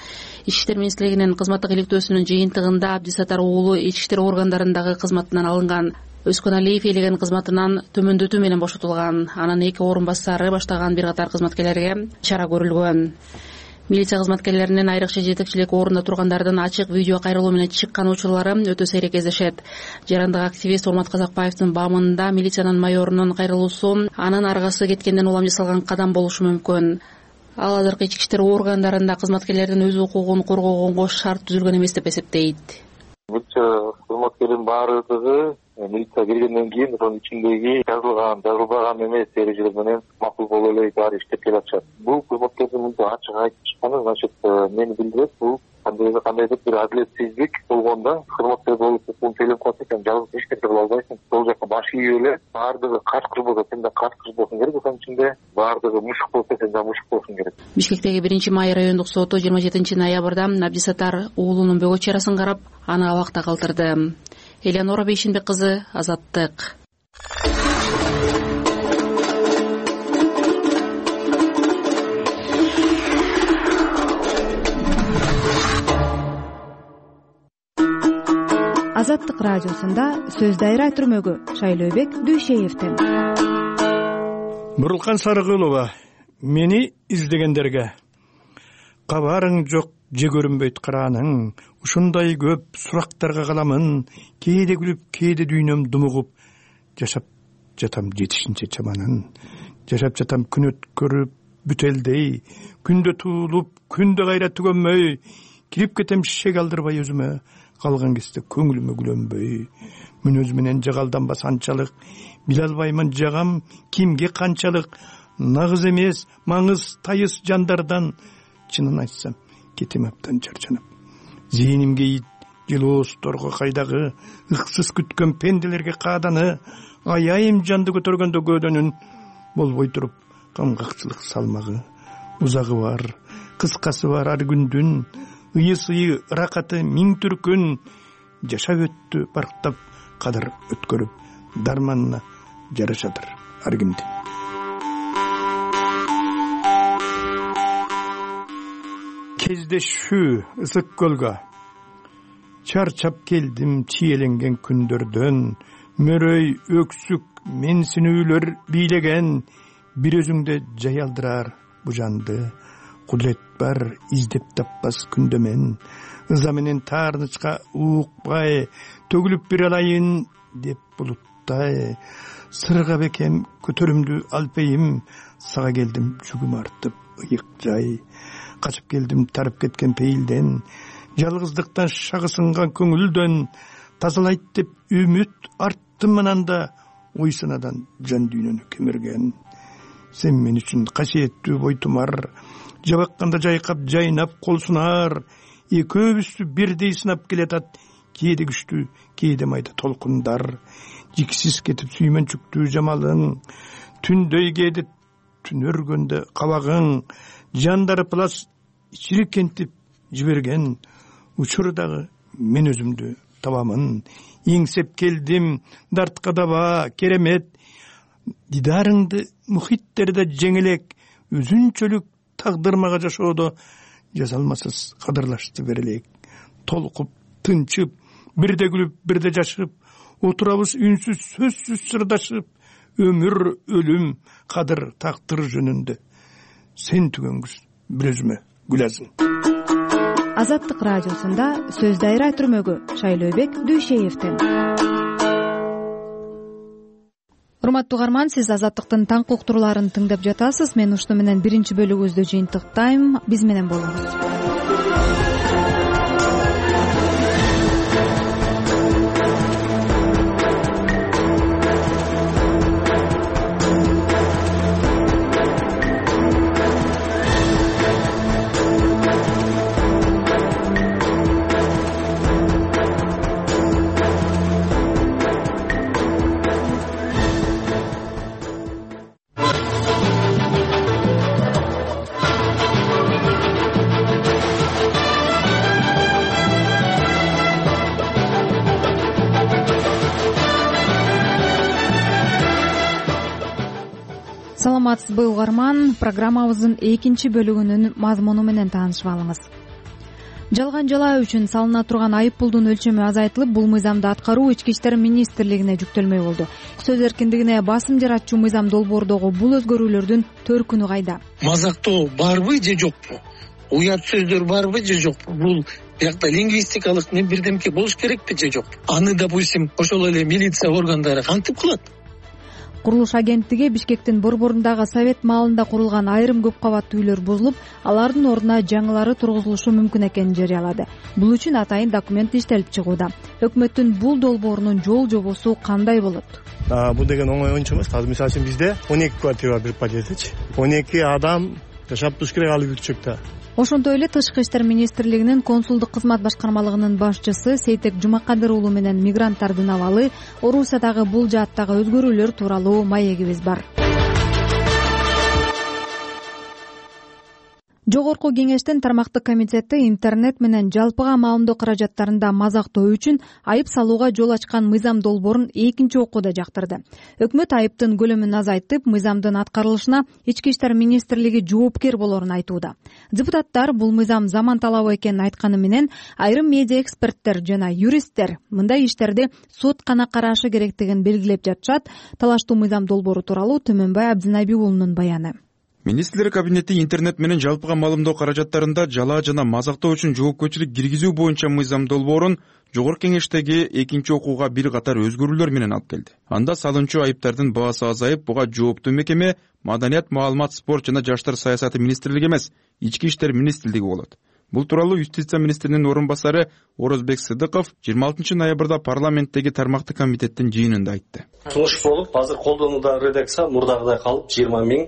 Ички иштер министрлигинин кызматтык иликтөөсүнүн жыйынтыгында Абдисаттар уулу ички иштер органдарындагы кызматынан алынган. Өскөналиев ээлеген кызматынан төмөндөтүү менен бошотулган. Анын эки орун басары баштаган бир катар кызматкерлерге чара көрүлгөн. Милиция кызматкерлеринин айрыкча жетекчилик орунда тургандардын ачык видео кайрылуу менен чыккан учурлары өтө сейрек кездешет. Жарандык активист Урмат Казакбаевдин баамында милициянын майорунун кайрылуусу анын аргасы кеткенден улам жасалган кадам болушу мүмкүн. Ал азыркы ички иштер органдарында кызматкерлердин өз укугун коргогонго шарт түзүлгөн эмес деп эсептейт. Милиция кызматкердин баардыгы милиция киргенден кийин ошонун ичиндеги жазылган, жазылбаган эмес эрежелер менен макул болуп эле баары иштеп келатышат. Бул кызматкердин мындай ачык айтып чыкканы, значит, мени билдирет, бул кандайдыр кандайдыр бир адилетсиздик болгондо кызматкер болуп укугун төлөп калса экен, жалгыз эч нерсе кыла албайсың. Сол жака баш ийип эле баардыгы качкыр болсо сен да качкыр болушуң керек, ошонун ичинде баардыгы мушук болсо сен да мушук болушуң керек. Бишкектеги биринчи май райондук соту жыйырма жетинчи ноябрда Абдисаттар уулунун бөгөт чарасын карап, аны абакта калтырды. Элеонора Бейшинбек кызы, Азаттык. Азаттык радиосунда сөз дайра түрмөгү Шайлообек Дүйшеевден. Бурулкан Сарыгулова, мени издегендерге кабарың жок, же көрүнбөйт карааның, ушундай көп сурактарга каламын, кээде күлүп, кээде дүйнөм думугуп, жашап жатам жетишинче чаманын, жашап жатам күн өткөрүп бүтелдей, күндө туулуп, күндө кайра түгөнмөй, кирип кетем шишеге алдырбай өзүмө, калган кезде көңүлүмө күлөнбөй, мүнөз менен жагалданбас анчалык, биле албаймын жагам кимге канчалык, нагыз эмес, маңыз тайыз жандардан, чынын айтсам кетем абдан жаржанып. Зээнимге ит жылоосторго кайдагы ыксыз күткөн пенделерге кааданы, аяйым жанды көтөргөндө көөдөнүн болбой туруп камгакчылык салмагы, узагы бар, кыскасы бар ар күндүн, ыйы-сыйы, ыракаты миң түркүн жашап өттү барктап, кадыр өткөрүп, дарманына жарашадыр ар кимдин. Кездешүү ысык көлгө чарчап келдим чиеленген күндөрдөн, мөрөй, өксүк, менсинүүлөр бийлеген, бир өзүңдө жаялдырар бу жанды, кудурет бар издеп таппас күндө мен, ыза менен таарынычка уукпай, төгүлүп бир алайын деп булуттай, сырга бекем көтөрүмдү алпейим, сага келдим жүгүм артып ыйык жай, качып келдим тарып кеткен пейилден, жалгыздыктан шагы сынган көңүлдөн, тазалайт деп үмүт арттым ананда, ой санадан жан дүйнөнү кемирген. Сен мен үчүн касиеттүү бойтумар, жабакканда жайкап жайнап кол сунар, экөөбүздү бирдей сынап келатат, кээде күчтүү, кээде майда толкундар, жиксиз кетип сүймөнчүктүү жамалың, түндөй кээде түн өргөндө кабагың, жандары плас чиркентип жиберген, учурдагы мен өзүмдү табамын, эңсеп келдим дартка даба керемет, дидарыңды мухиттерде жеңелек, өзүнчөлүк тагдырмага жашоодо жазалмасыз кадырлашты берелек, толкуп тынчып, бирде күлүп бирде жашып, отурабыз үнсүз сөзсүз сырдашып, өмүр өлүм кадыр тактыр жөнүндө, сен түгөнгүз бир өзүмө гүлазым. Азаттык радиосунда сөз дайра түрмөгү Шайлообек Дүйшеевдин. Урматтуу угарман, сиз Азаттыктын таң уктурууларын тыңдап жатасыз. Мен ушуну менен биринчи бөлүгүбүздү жыйынтыктайм. Биз менен болуңуз. Саламатсызбы угарман, программабыздын экинчи бөлүгүнүн мазмуну менен таанышып алыңыз. Жалган жалаа үчүн салына турган айып пулдун өлчөмү азайтылып, бул мыйзамды аткаруу Ички иштер министрлигине жүктөлмөй болду. Сөз эркиндигине басым жаратчу мыйзам долбоордогу бул өзгөрүүлөрдүн төркүнү кайда? Мазактоо барбы же жокпу? Уят сөздөр барбы же жокпу? Бул биякта лингвистикалык не бирдемке болуш керекпи же жокпу? Аны, допустим, ошол эле милиция органдары кантип кылат? Курулуш агенттиги Бишкектин борборундагы совет маалында курулган айрым көп кабаттуу үйлөр бузулуп, алардын ордуна жаңылары тургузулушу мүмкүн экенин жарыялады. Бул үчүн атайын документ иштелип чыгууда. Өкмөттүн бул долбоорунун жол жобосу кандай болот? Бул деген оңой ойнчу эмес. Азыр мисалы үчүн бизде он эки квартира бир подъездчи. он эки адам жашап туруш керек ал бүрчөктө. Ошонтой эле Тышкы иштер министрлигинин консулдук кызмат башкармалыгынын башчысы Сейтек Жумакадыр уулу менен мигранттардын абалы, Орусиядагы бул жааттагы өзгөрүүлөр тууралуу маегибиз бар. Жогорку кеңештин тармактык комитети интернет менен жалпыга маалымдоо каражаттарында мазактоо үчүн айып салууга жол ачкан мыйзам долбоорун экинчи окууда жактырды. Өкмөт айыптын көлөмүн азайтып, мыйзамдын аткарылышына Ички иштер министрлиги жоопкер болорун айтууда. Депутаттар бул мыйзам заман талабы экенин айтканы менен, айрым медиа эксперттер жана юристтер мындай иштерди сот гана карашы керектигин белгилеп жатышат. Талаштуу мыйзам долбоору тууралуу Төмөнбай Абдинаби уулунун баяны. Министрлер кабинети интернет менен жалпыга маалымдоо каражаттарында жалаа жана мазактоо үчүн жоопкерчилик киргизүү боюнча мыйзам долбоорун жогорку кеңештеги экинчи окууга бир катар өзгөрүүлөр менен алып келди. Анда салынчу айыптардын баасы азайып, буга жооптуу мекеме Маданият, маалымат, спорт жана жаштар саясаты министрлиги эмес, Ички иштер министрлиги болот. Бул тууралуу Юстиция министринин орун басары Орозбек Сыдыков жыйырма алтынчы ноябрда парламенттеги тармактык комитеттин жыйынында айтты. Сунуш болуп, азыр колдонуудагы редакция мурдагыдай калып жыйырма миң,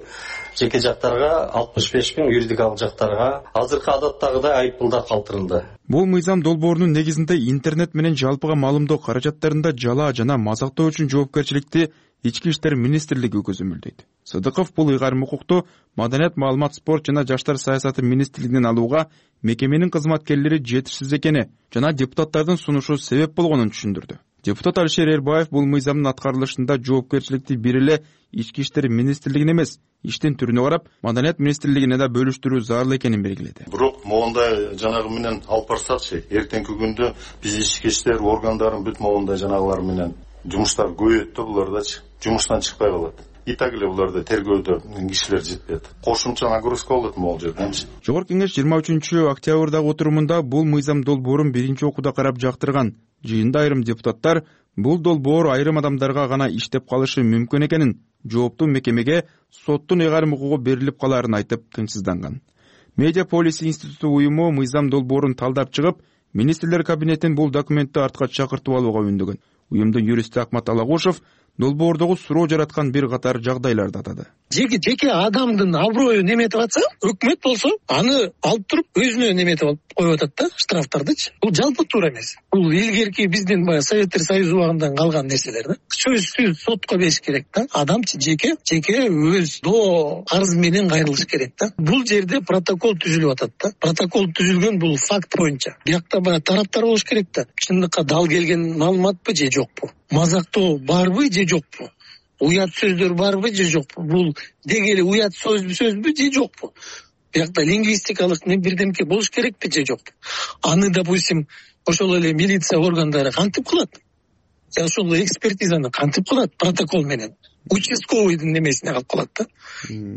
жеке жактарга алтымыш беш миң, юридикалык жактарга азыркы адаттагыдай айып пулдар калтырылды. Бул мыйзам долбоорунун негизинде интернет менен жалпыга маалымдоо каражаттарында жалаа жана мазактоо үчүн жоопкерчиликти Ички иштер министрлиги көзөмөлдөйт. Сыдыков бул ыйгарым укукту Маданият, маалымат, спорт жана жаштар саясаты министрлигинен алууга мекеменин кызматкерлери жетишсиз экени жана депутаттардын сунушу себеп болгонун түшүндүрдү. Депутат Алишер Эрбаев бул мыйзамдын аткарылышында жоопкерчиликти бир эле Ички иштер министрлигине эмес, иштин түрүнө карап Маданият министрлигине да бөлүштүрүү зарыл экенин белгиледи. Бирок моундай жанагы менен алып барсакчы, эртеңки күндө биз ички иштер органдарын бүт моундай жанагылар менен жумуштар көбөйөт да, булардачы жумуштан чыкпай калат. И так эле буларда тергөөдө кишилер жетпейт. Кошумча нагрузка болот могул жерденчи. Жогорку кеңеш жыйырма үчүнчү октябрдагы отурумунда бул мыйзам долбоорун биринчи окууда карап жактырган. Жыйында айрым депутаттар бул долбоор айрым адамдарга гана иштеп калышы мүмкүн экенин, жооптуу мекемеге соттун ыйгарым укугу берилип калаарын айтып тынчсызданган. Медиа Полиси институту уюму мыйзам долбоорун талдап чыгып, министрлер кабинетин бул документти артка чакыртып алууга үндөгөн. Уюмдун юристи Акмат Алагушев долбоордогу суроо жараткан бир катар жагдайларды атады. Жеке жеке адамдын аброюн неметип атса, өкмөт болсо, аны алып туруп өзүнө неметип алып коюп атат да, штрафтардычы. Бул жалпы туура эмес. Бул илгерки биздин баягы Советтер Союзу убагынан калган нерселер да. Сөзсүз сотко бериш керек да. Адамчы жеке жеке өз доо арыз менен кайрылыш керек да. Бул жерде протокол түзүлүп атат да. Протокол түзүлгөн бул факт боюнча. Биякта баягы тараптар болуш керек да. Чындыкка дал келген маалыматпы же жокпу? Мазактоо барбы же жокпу? Уят сөздөр барбы же жокпу? Бул деги эле уят сөзбү сөзбү же жокпу? Биякта лингвистикалык не бирдемке болуш керекпи же жокпу? Аны, допустим, ошол эле милиция органдары кантип кылат? Же ошол экспертизаны кантип кылат протокол менен? Участковыйдын немесине калып калат да.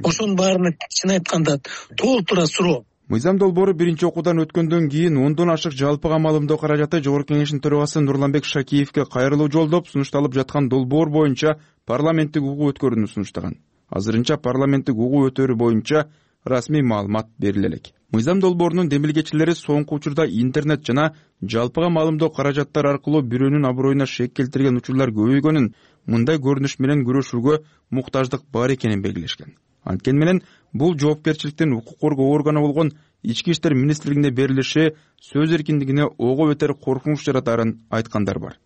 Ошонун баарына чын айтканда толтура суроо. Мыйзам долбоору биринчи окуудан өткөндөн кийин ондон ашык жалпыга маалымдоо каражаты Жогорку кеңештин төрагасы Нурланбек Шакиевке кайрылуу жолдоп сунушталып жаткан долбоор боюнча парламенттик угуу өткөрүүнү сунуштаган. Азырынча парламенттик угуу өтөрү боюнча расмий маалымат бериле элек. Мыйзам долбоорунун демилгечилери соңку учурда интернет жана жалпыга маалымдоо каражаттар аркылуу бирөөнүн аброюна шек келтирген учурлар көбөйгөнүн, мындай көрүнүш менен күрөшүүгө муктаждык бар экенин белгилешкен. Анткени менен бул жоопкерчиликтин укук коргоо органы болгон Ички иштер министрлигине берилиши сөз эркиндигине ого бетер коркунуч жаратарын айткандар бар.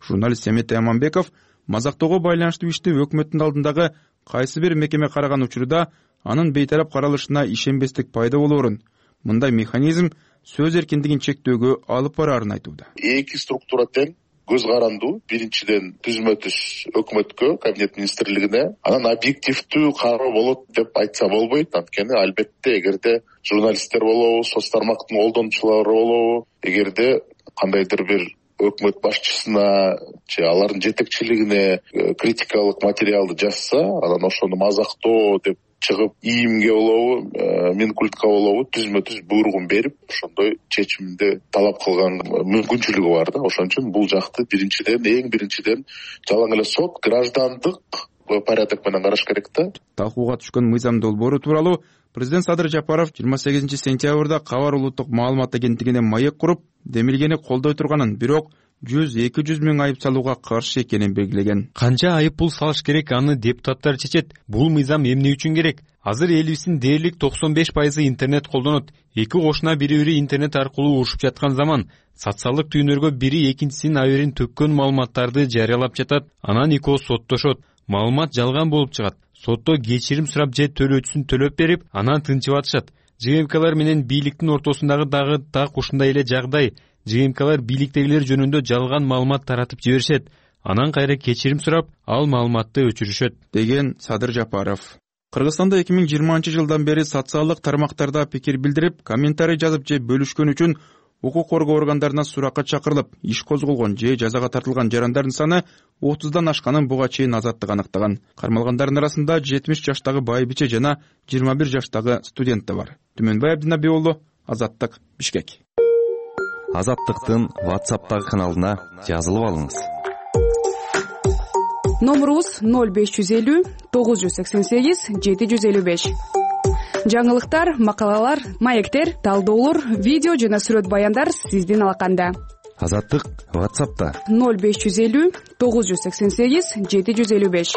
Журналист Семетей Аманбеков мазактоого байланыштуу ишти өкмөттүн алдындагы кайсы бир мекеме караган учурда анын бейтарап каралышына ишенбестик пайда болоорун, мындай механизм сөз эркиндигин чектөөгө алып бараарын айтууда. Эки структура тең көз карандуу. Биринчиден түзмө түз өкмөткө, кабинет министрлигине, анан объективдүү кароо болот деп айтса болбойт. Анткени албетте эгерде журналисттер болобу, соц тармактын колдонуучулары болобу, эгерде кандайдыр бир өкмөт башчысына же алардын жетекчилигине критикалык материалды жазса, анан ошону мазактоо деп чыгып ийимге болобу, минкультка болобу түзмө түз буйругун берип, ошондой чечимди талап кылган мүмкүнчүлүгү бар да. Ошон үчүн бул жакты биринчиден, эң биринчиден жалаң эле сот граждандык порядок менен караш керек да. Талкууга түшкөн мыйзам долбоору тууралуу президент Садыр Жапаров жыйырма сегизинчи сентябрда Кабар улуттук маалымат агенттигине маек куруп, демилгени колдой турганын, бирок жүз эки жүз миң айып салууга каршы экенин белгилеген. Канча айып пул салыш керек, аны депутаттар чечет. Бул мыйзам эмне үчүн керек? Азыр элибиздин дээрлик токсон беш пайызы интернет колдонот. Эки кошуна бири-бири интернет аркылуу урушуп жаткан заман. Социалдык түйүнөргө бири экинчисинин аберин төккөн маалыматтарды жарыялап жатат. Анан экөө соттошот. Маалымат жалган болуп чыгат. Сотто кечирим сурап же төлөөчүсүн төлөп берип, анан тынчып атышат. ЖМКлар менен бийликтин ортосундагы дагы так ушундай эле жагдай. ЖМКлар бийликтегилер жөнүндө жалган маалымат таратып жиберишет. Анан кайра кечирим сурап, ал маалыматты өчүрүшөт, деген Садыр Жапаров. Кыргызстанда эки миң жыйырманчы жылдан бери социалдык тармактарда пикир билдирип, комментарий жазып же бөлүшкөн үчүн укук коргоо органдарына суракка чакырылып, иш козголгон же жазага тартылган жарандардын саны отуздан ашканын буга чейин Азаттык аныктаган. Кармалгандардын арасында жетимиш жаштагы байбиче жана жыйырма бир жаштагы студент да бар. Түмөнбай Абдинаби уулу, Азаттык, Бишкек. Азаттыктын WhatsApp'тагы каналына жазылып алыңыз. Номерубуз ноль беш жүз элүү тогуз жүз сексен сегиз жети жүз элүү беш. Жаңылыктар, макалалар, маектер, талдоолор, видео жана сүрөт баяндар сиздин алаканда. Азаттык WhatsApp'та ноль беш жүз элүү тогуз жүз сексен сегиз жети жүз элүү беш.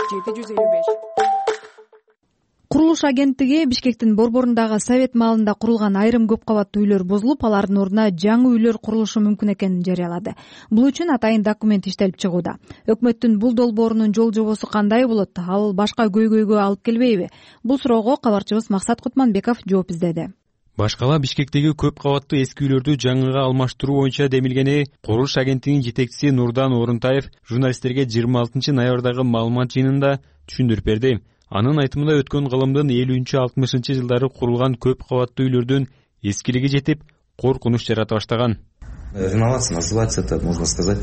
Курулуш агенттиги Бишкектин борборундагы совет маалында курулган айрым көп кабаттуу үйлөр бузулуп, алардын ордуна жаңы үйлөр курулушу мүмкүн экенин жарыялады. Бул үчүн атайын документ иштелип чыгууда. Өкмөттүн бул долбоорунун жол жобосу кандай болот? Ал башка көйгөйгө алып келбейби? Бул суроого кабарчыбыз Максат Кутманбеков жооп издеди. Башкала Бишкектеги көп кабаттуу эски үйлөрдү жаңыга алмаштыруу боюнча демилгени курулуш агенттигинин жетекчиси Нурдан Орунтаев журналисттерге жыйырма алтынчы ноябрдагы маалымат жыйынында түшүндүрүп берди. Анын айтымында өткөн кылымдын элүүнчү алтымышынчы жылдары курулган көп кабаттуу үйлөрдүн эскилиги жетип, коркунуч жарата баштаган. Реновация называется, это можно сказать,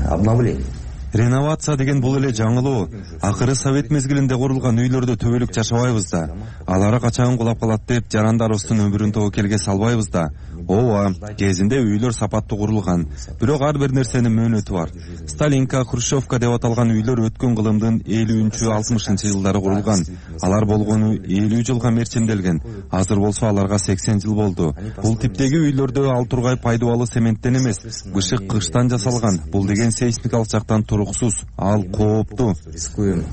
обновление. Реновация деген бул эле жаңылоо. Акыры совет мезгилинде курулган үйлөрдө төбөлүк жашабайбыз да. Алары качан кулап калат деп жарандарыбыздын өмүрүн тобокелге салбайбыз да. Ооба, кезинде үйлөр сапаттуу курулган. Бирок ар бир нерсенин мөөнөтү бар. Сталинка, Хрущевка деп аталган үйлөр өткөн кылымдын элүүнчү алтымышынчы жылдары курулган. Алар болгону элүү жылга мерчимделген. Азыр болсо аларга сексен жыл болду. Бул типтеги үйлөрдө ал тургай пайдубалы цементтен эмес, бышык кыштан жасалган. Бул деген сейсмикалык жактан туруксуз, ал кооптуу. Рискуем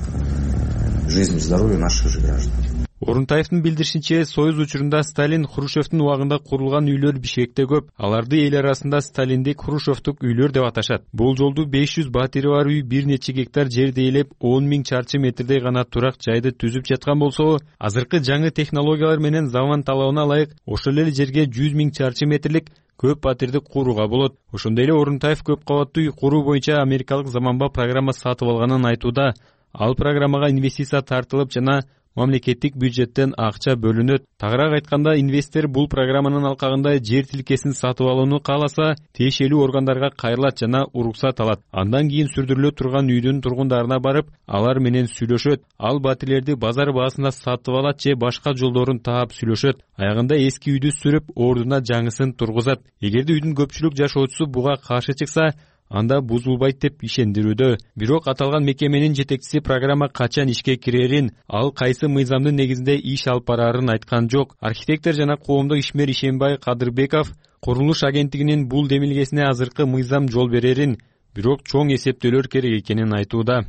жизнь и здоровье наших же граждан. Орунтаевдин билдиришинче, Союз учурунда Сталин, Хрущевдин убагында курулган үйлөр Бишкекте көп. Аларды эл арасында Сталиндик, Хрущевдук үйлөр деп аташат. Бул жолду беш жүз батири бар үй бир нече гектар жерди ээлеп, он миң чарчы метрдей гана турак жайды түзүп жаткан болсо, азыркы жаңы технологиялар менен заман талабына ылайык ошол эле жерге жүз миң чарчы метрлик көп батирди курууга болот. Ошондой эле Орунтаев көп кабаттуу үй куруу боюнча америкалык заманба программа сатып алганын айтууда. Ал программага инвестиция тартылып жана мамлекеттик бюджеттен акча бөлүнөт. Тагыраак айтканда, инвестор бул программанын алкагында жер тилкесин сатып алууну кааласа, тиешелүү органдарга кайрылат жана уруксат алат. Андан кийин сүрдүрүлө турган үйдүн тургундарына барып, алар менен сүйлөшөт. Ал батирлерди базар баасында сатып алат же башка жолдорун таап сүйлөшөт. Аягында эски үйдү сүрүп, ордуна жаңысын тургузат. Эгерде үйдүн көпчүлүк жашоочусу буга каршы чыкса, анда бузулбайт деп ишендирүүдө. Бирок аталган мекеменин жетекчиси программа качан ишке кирерин, ал кайсы мыйзамдын негизинде иш алып барарын айткан жок. Архитектор жана коомдук ишмер Ишенбай Кадырбеков курулуш агенттигинин бул демилгесине азыркы мыйзам жол берерин, бирок чоң эсептөөлөр керек экенин айтууда.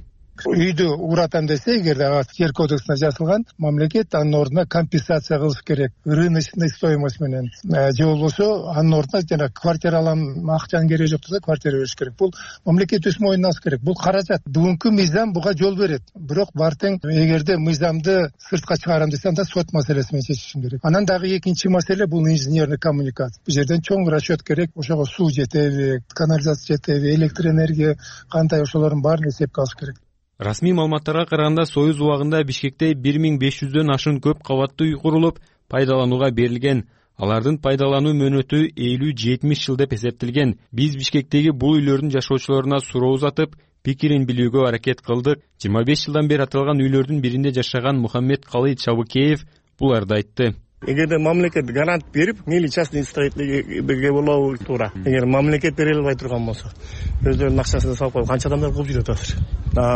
Үйдү уратам десе, эгерде жер кодексинде жазылган, мамлекет анын ордуна компенсация кылыш керек. Рыночный стоимость менен. Же болбосо анын ордуна жана квартира алам, акчанын кереги жок десе, квартира бериш керек. Бул мамлекет өз мойнуна алыш керек. Бул каражат. Бүгүнкү мыйзам буга жол берет. Бирок бартең эгерде мыйзамды сыртка чыгарам десе, анда сот маселеси менен чечишим керек. Анан дагы экинчи маселе бул инженерный коммуникация. Бул жерден чоң расчет керек. Ошого суу жетеби, канализация жетеби, электр энергия кандай, ошолордун баарын эсепке алыш керек. Расмий маалыматтарга караганда, Союз убагында Бишкекте бир миң беш жүздөн ашуун көп кабаттуу үй курулуп, пайдаланууга берилген. Алардын пайдалануу мөөнөтү элүү жетимиш жыл деп эсептелген. Биз Бишкектеги бул үйлөрдүн жашоочуларына суроо узатып, пикирин билүүгө аракет кылдык. жыйырма беш жылдан бери аталган үйлөрдүн биринде жашаган Мухаммед Калый Чабыкеев буларды айтты. Эгерде мамлекет гарант берип, мейли частный строительге болобу туура. Эгер мамлекет бере албай турган болсо, өздөрүнүн акчасын салып коюп, канча адамдар кылып жүрөт азыр.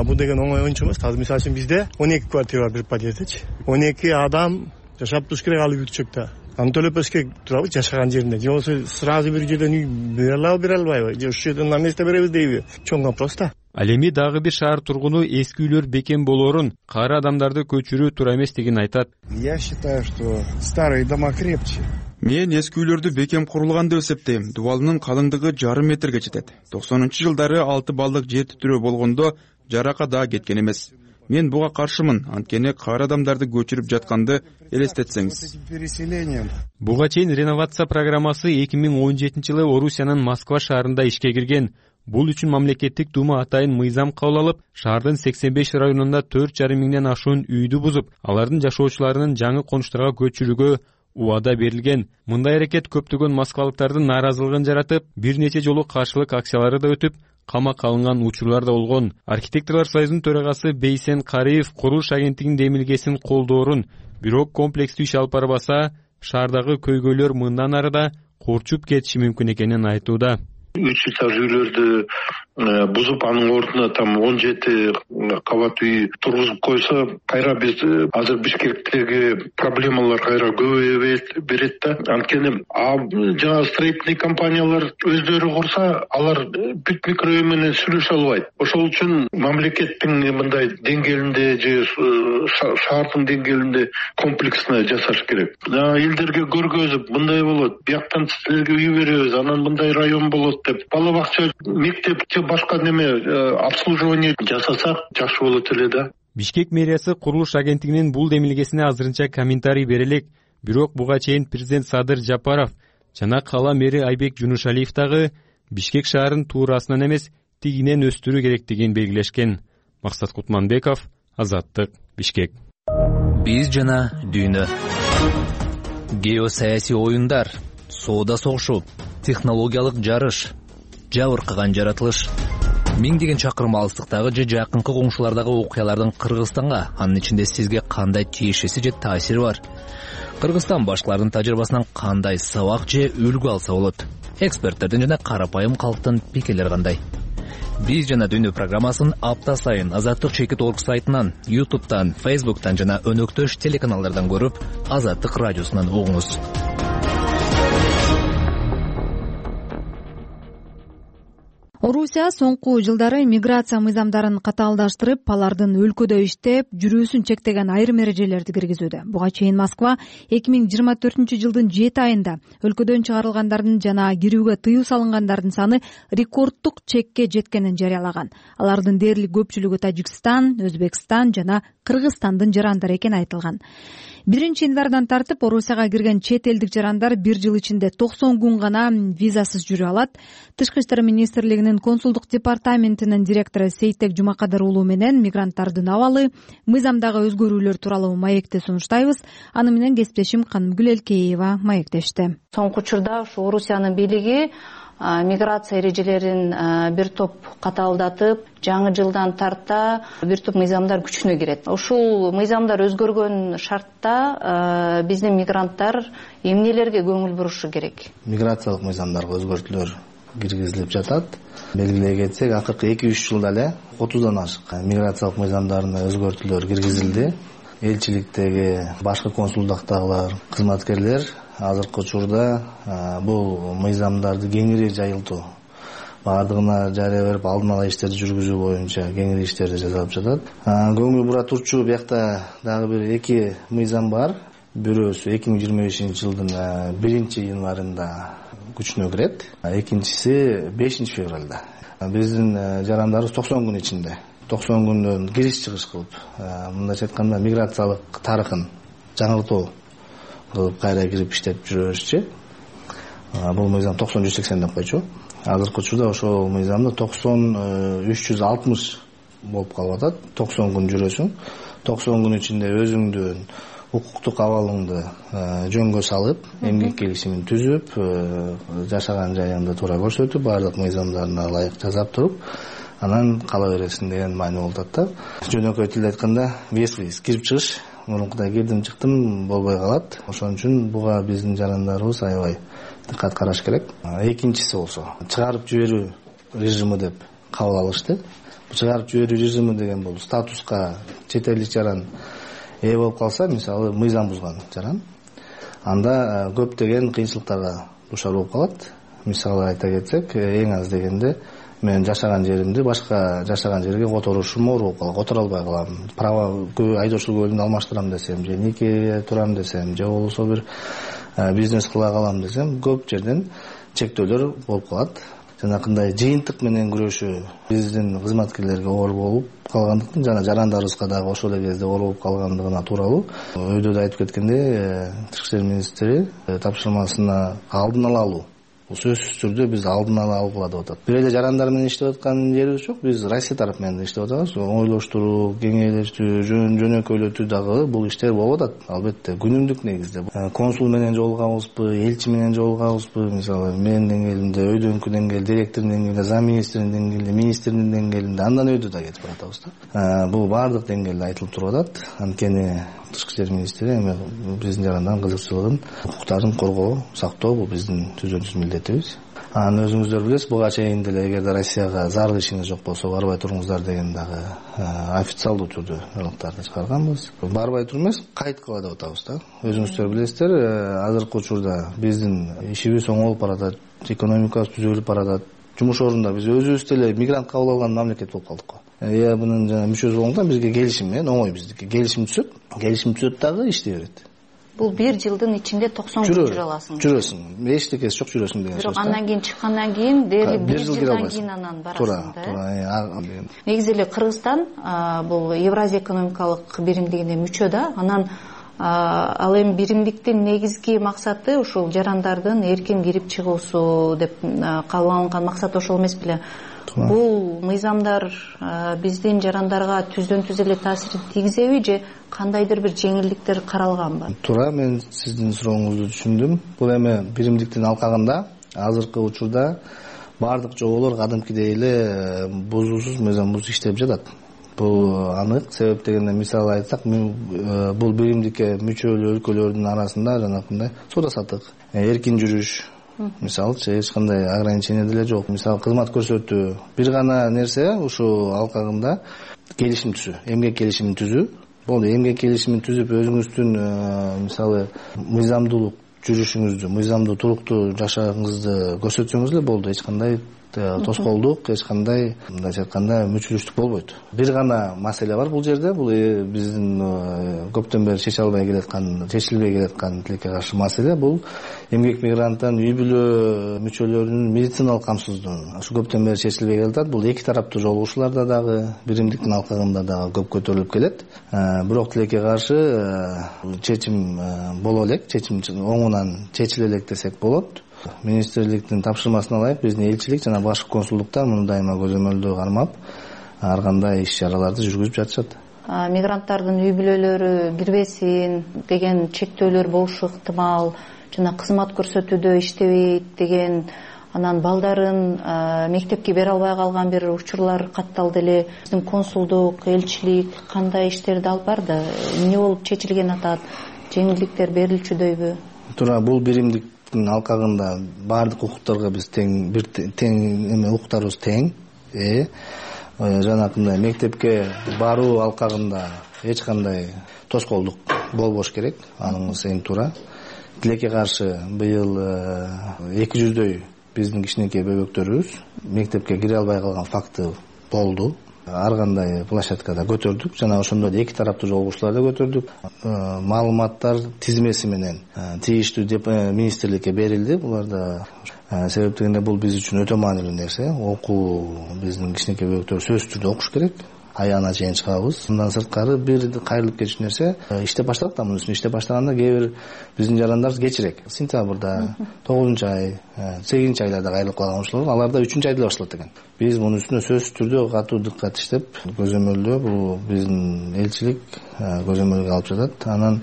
Бул деген оңой оюнчу эмес. Азыр мисалы үчүн бизде он эки квартира бар бир подъездечи. он эки адам жашап туруш керек ал бүтчөктө. Аны төлөп бериш керек турабы жашаган жеринде. Же болбосо сразу бир жерден үй бере алабы, бере албайбы? Же ушул жерден на месте беребиз дейби? Чоң вопрос да. Ал эми дагы бир шаар тургуну эски үйлөр бекем болоорун, кары адамдарды көчүрүү туура эмес деген айтат. Я считаю, что старые дома крепче. Мен эски үйлөрдү бекем курулган деп эсептейм. Дубалынын калыңдыгы жарым метрге жетет. токсонунчу жылдары алты балдык жер титирөө болгондо жарака да кеткен эмес. Мен буга каршымын, анткени кары адамдарды көчүрүп жатканды элестетсеңиз. Буга чейин реновация программасы эки миң он жетинчи жылы Орусиянын Москва шаарында ишке кирген. Бул үчүн мамлекеттик дума атайын мыйзам кабыл алып, шаардын сексен беш районунда төрт жарым миңден ашуун үйдү бузуп, алардын жашоочуларынын жаңы конуштарга көчүрүүгө убада берилген. Мындай аракет көптөгөн москвалыктардын нааразылыгын жаратып, бир нече жолу каршылык акциялары да өтүп, камакка алынган учурлар да болгон. Архитекторлор союзунун төрагасы Бейсен Кариев курулуш агенттигинин демилгесин колдоорун, бирок комплекстүү иш алып барбаса, шаардагы көйгөйлөр мындан ары да корчуп кетиши мүмкүн экенин айтууда. Үч этаж үйлөрдү бузуп анын ордуна там он жети кабат үй тургузуп койсо, кайра биз азыр Бишкектеги проблемалар кайра көбөйө берет да. Анткени жаңа строительный компаниялар өздөрү курса, алар бүт микрорайон менен сүйлөшө албайт. Ошол үчүн мамлекеттин мындай деңгээлинде же шаардын деңгээлинде комплексно жасаш керек. Элдерге көргөзүп, мындай болот, бияктан силерге үй беребиз, анан мындай район болот деп, бала бакча, мектеп же башка неме обслуживание жасасак жакшы болот эле да. Бишкек мэриясы курулуш агенттигинин бул демилгесине азырынча комментарий бере элек. Бирок буга чейин президент Садыр Жапаров жана кала мэри Айбек Жунушалиев дагы Бишкек шаарын туурасынан эмес, тигинен өстүрүү керектигин белгилешкен. Максат Кутманбеков, Азаттык, Бишкек. Биз жана дүйнө. Геосаясий оюндар, соода согушу, технологиялык жарыш, жабыркаган жаратылыш. Миңдеген чакырым алыстыктагы же жакынкы коңшулардагы окуялардын Кыргызстанга, анын ичинде сизге кандай тиешеси же таасири бар? Кыргызстан башкалардын тажрыйбасынан кандай сабак же үлгү алса болот? Эксперттердин жана карапайым калктын пикирлери кандай? Биз жана дүйнө программасын апта сайын Азаттык чекит точка орг сайтынан, ютубтан, фейсбуктан жана өнөктөш телеканалдардан көрүп, Азаттык радиосунан угуңуз. Орусия соңку жылдары миграция мыйзамдарын катаалдаштырып, алардын өлкөдө иштеп, жүрүүсүн чектеген айрым эрежелерди киргизүүдө. Буга чейин Москва эки миң жыйырма төртүнчү жылдын жети айында өлкөдөн чыгарылгандардын жана кирүүгө тыюу салынгандардын саны рекорддук чекке жеткенин жарыялаган. Алардын дээрлик көпчүлүгү Тажикстан, Өзбекстан жана Кыргызстандын жарандары экени айтылган. биринчи январдан тартып Орусияга кирген чет элдик жарандар бир жыл ичинде токсон күн гана визасыз жүрө алат. Тышкы иштер министрлигинин консулдук департаментинин директору Сейтек Жумакадыр уулу менен мигранттардын абалы, мыйзамдагы өзгөрүүлөр тууралуу маекти сунуштайбыз. Аны менен кесиптешим Канымгүл Элкеева маектешти. Соңку учурда ушу Орусиянын бийлиги миграция эрежелерин бир топ катаалдатып, жаңы жылдан тарта бир топ мыйзамдар күчүнө кирет. Ушул мыйзамдар өзгөргөн шартта биздин мигранттар эмнелерге көңүл бурушу керек? Миграциялык мыйзамдарга өзгөртүүлөр киргизилип жатат. Белгилей кетсек, акыркы эки үч жылда эле отуздан ашык миграциялык мыйзамдарына өзгөртүүлөр киргизилди. Элчиликтеги, башкы консулдуктагылар, кызматкерлер азыркы учурда бул мыйзамдарды кеңири жайылтуу, баардыгына жарыя берип, алдын ала иштерди жүргүзүү боюнча кеңири иштерди жасалып жатат. Көңүл бура турчу биякта дагы бир эки мыйзам бар. Бирөөсү эки миң жыйырма бешинчи жылдын биринчи январында күчүнө кирет, экинчиси бешинчи февралда. Биздин жарандарыбыз токсон күн ичинде токсон күндөн кириш-чыгыш кылып, мындайча айтканда миграциялык тарыхын жаңыртуу кылып кайра кирип иштеп жүрөбүзчү. Бул мыйзам токсон жүз сексен деп койчу. Азыркы учурда ошол мыйзамда токсон үч жүз алтымыш болуп калып атат. токсон күн жүрөсүң. токсон күн ичинде өзүңдүн укуктук абалыңды жөнгө салып, эмгек келишимин түзүп, жашаган жайыңды туура көрсөтүп, баардык мыйзамдарына ылайык жасап туруп, анан кала бересиң деген маани болуп атат да. Жөнөкөй тилде айтканда, вес-виз кирип чыгыш, мурункудай кирдим чыктым болбой калат. Ошон үчүн буга биздин жарандарыбыз аябай диккат караш керек. Экинчиси болсо, чыгарып жиберүү режими деп кабыл алышты. Чыгарып жиберүү режими деген бул статуска чет элдик жаран ээ болуп калса, мисалы мыйзам бузган жаран, анда көптөгөн кыйынчылыктарга дуушар болуп калат. Мисалы айта кетсек, эң аз дегенде мен жашаган жеримди башка жашаган жерге которушум оор болуп калат, которо албай калам. Права айдоочулук өкүлүн алмаштырам десем, же нике турам десем, же болбосо бир бизнес кыла калам десем, көп жерден чектөөлөр болуп калат. Жанакындай жыйынтык менен күрөшүү биздин кызматкерлерге оор болуп калгандыктан, жана жарандарыбызга дагы ошол эле кезде оор болуп калгандыгына тууралуу. Өйдө да айтып кеткендей, Тышкы иштер министри тапшырмасына алдын ала алуу. Бул сөзсүз түрдө биз алдын ала алгыла деп атат. Бир эле жарандар менен иштеп аткан жерибиз жок. Биз Россия тарап менен иштеп атабыз. Ойлоштуруу, кеңейлештүү, жөнөкөйлөтүү дагы бул иштер болуп атат. Албетте, күнүмдүк негизде. Консул менен жолугабызбы, элчи менен жолугабызбы, мисалы менин деңгээлимде, өйдөнкү деңгээл, директордун деңгээлинде, зам министрдин деңгээлинде, министрдин деңгээлинде, андан өйдө да кетип баратабыз да. Бул баардык деңгээлде айтылып туруп атат. Анткени Тышкы иштер министри эми биздин жарандардын кызыкчылыгын, укуктарын коргоо, сактоо бул биздин түзөн түз милдетибиз. анан өзүңүздөр билесиз, буга чейин деле эгерде Россияга зарыл ишиңиз жок болсо барбай туруңуздар деген дагы официалдуу түрдө ырлыктарды чыгарганбыз. Барбай туруп эмес, кайыт кыла деп атабыз да. Өзүңүздөр билесиздер, азыркы учурда биздин ишибиз оңолуп баратат, экономикабыз түзөлүп баратат. Жумуш орунда биз өзүбүз деле мигрант кабыл алган мамлекет болуп калдык го. Э бунун жана мүчөсү болгондон бизге келишим менен оңой биздики. Келишим түзөт, келишим түзөт дагы иштей берет. Бул бир жылдын ичинде токсон күн жүрө аласың. Жүрөсүң. Эчтекеси жок, жүрөсүң деген сөз. Бирок андан кийин чыккандан кийин дээрлик бир жылдан кийин анан барасың да. Туура. Негизи эле Кыргызстан бул Евразия экономикалык биримдигине мүчө да. Анан ал эми биримдиктин негизги максаты ушул жарандардын эркин кирип чыгуусу деп кабыл алынган максат ошол эмес беле? Бул мыйзамдар биздин жарандарга түздөн түз эле таасирин тийгизеби же кандайдыр бир жеңилдиктер каралганбы? Туура, мен сиздин сурооңузду түшүндүм. Бул эми биримдиктин алкагында азыркы учурда баардык жоболор кадимкидей эле бузуусуз, мыйзамсыз иштеп жатат. Бул анык. Себеп дегенде мисал айтсак, бул биримдикке мүчө өлкөлөрдүн арасында жанакындай соода саттык, эркин жүрүш, мисалы эч кандай ограничение деле жок. Мисалы кызмат көрсөтүү, бир гана нерсе ушул алкагында келишим түзүү, эмгек келишимин түзүү. Бул эмгек келишимин түзүп өзүңүздүн мисалы мыйзамдуулук жүрүшүңүздү, мыйзамдуу туруктуу жашооңузду көрсөтсөңүз эле болду. Эч кандай тоскоолдук, эч кандай мындайча айтканда мүчүлүштүк болбойт. Бир гана маселе бар бул жерде. Бул биздин көптөн бери чече албай келаткан, чечилбей келаткан тилекке каршы маселе. Бул эмгек мигранттын үй бүлө мүчөлөрүнүн медициналык камсыздыгы. Ушу көптөн бери чечилбей келатат. Бул эки тараптуу жолугушууларда дагы, биримдиктин алкагында дагы көп көтөрүлүп келет. Бирок тилекке каршы чечим боло элек, чечим оңунан чечиле элек десек болот. Министрликтин тапшырмасына ылайык биздин элчилик жана башкы консулдуктар муну дайыма көзөмөлдөө кармап, ар кандай иш-чараларды жүргүзүп жатышат. Мигранттардын үй бүлөлөрү кирбесин деген чектөөлөр болушу ыктымал, жана кызмат көрсөтүүдө иштебейт деген, анан балдарын мектепке бере албай калган бир учурлар катталды эле. Биздин консулдук, элчилик кандай иштерди алып барды? Эмне болуп чечилген атат? Жеңилдиктер берилчүдөйбү? Туура, бул биримдик алкагында баардык укуктарга биз тең бир тең эме укуктарыбыз тең. Э жанакындай мектепке баруу алкагында эч кандай тоскоолдук болбош керек. Аныңыз эң туура. Тилекке каршы быйыл эки жүздөй биздин кичинекей бөбөктөрүбүз мектепке кире албай калган факты болду. Ар кандай площадкада көтөрдүк, жана ошондо да эки тараптуу жолугушууларда көтөрдүк. Маалыматтар тизмеси менен тийиштүү министрликке берилди. Буларда себеп дегенде бул биз үчүн өтө маанилүү нерсе. Окуу биздин кичинекей бөбөктөр сөзсүз түрдө окуш керек. Аяна чейин чыгабыз. Мындан сырткары бир кайрылып кетиш нерсе иштеп баштадык да, мунун үстүнө иштеп баштаганда кээ бир биздин жарандар кечирээк. Сентябрда, тогузунчу ай, сегизинчи айларда кайрылып калган ушулар, аларда үчүнчү айда башталат экен. Биз мунун үстүнө сөзсүз түрдө катуу дыккат иштеп, көзөмөлдөө бул биздин элчилик көзөмөлгө алып жатат. Анан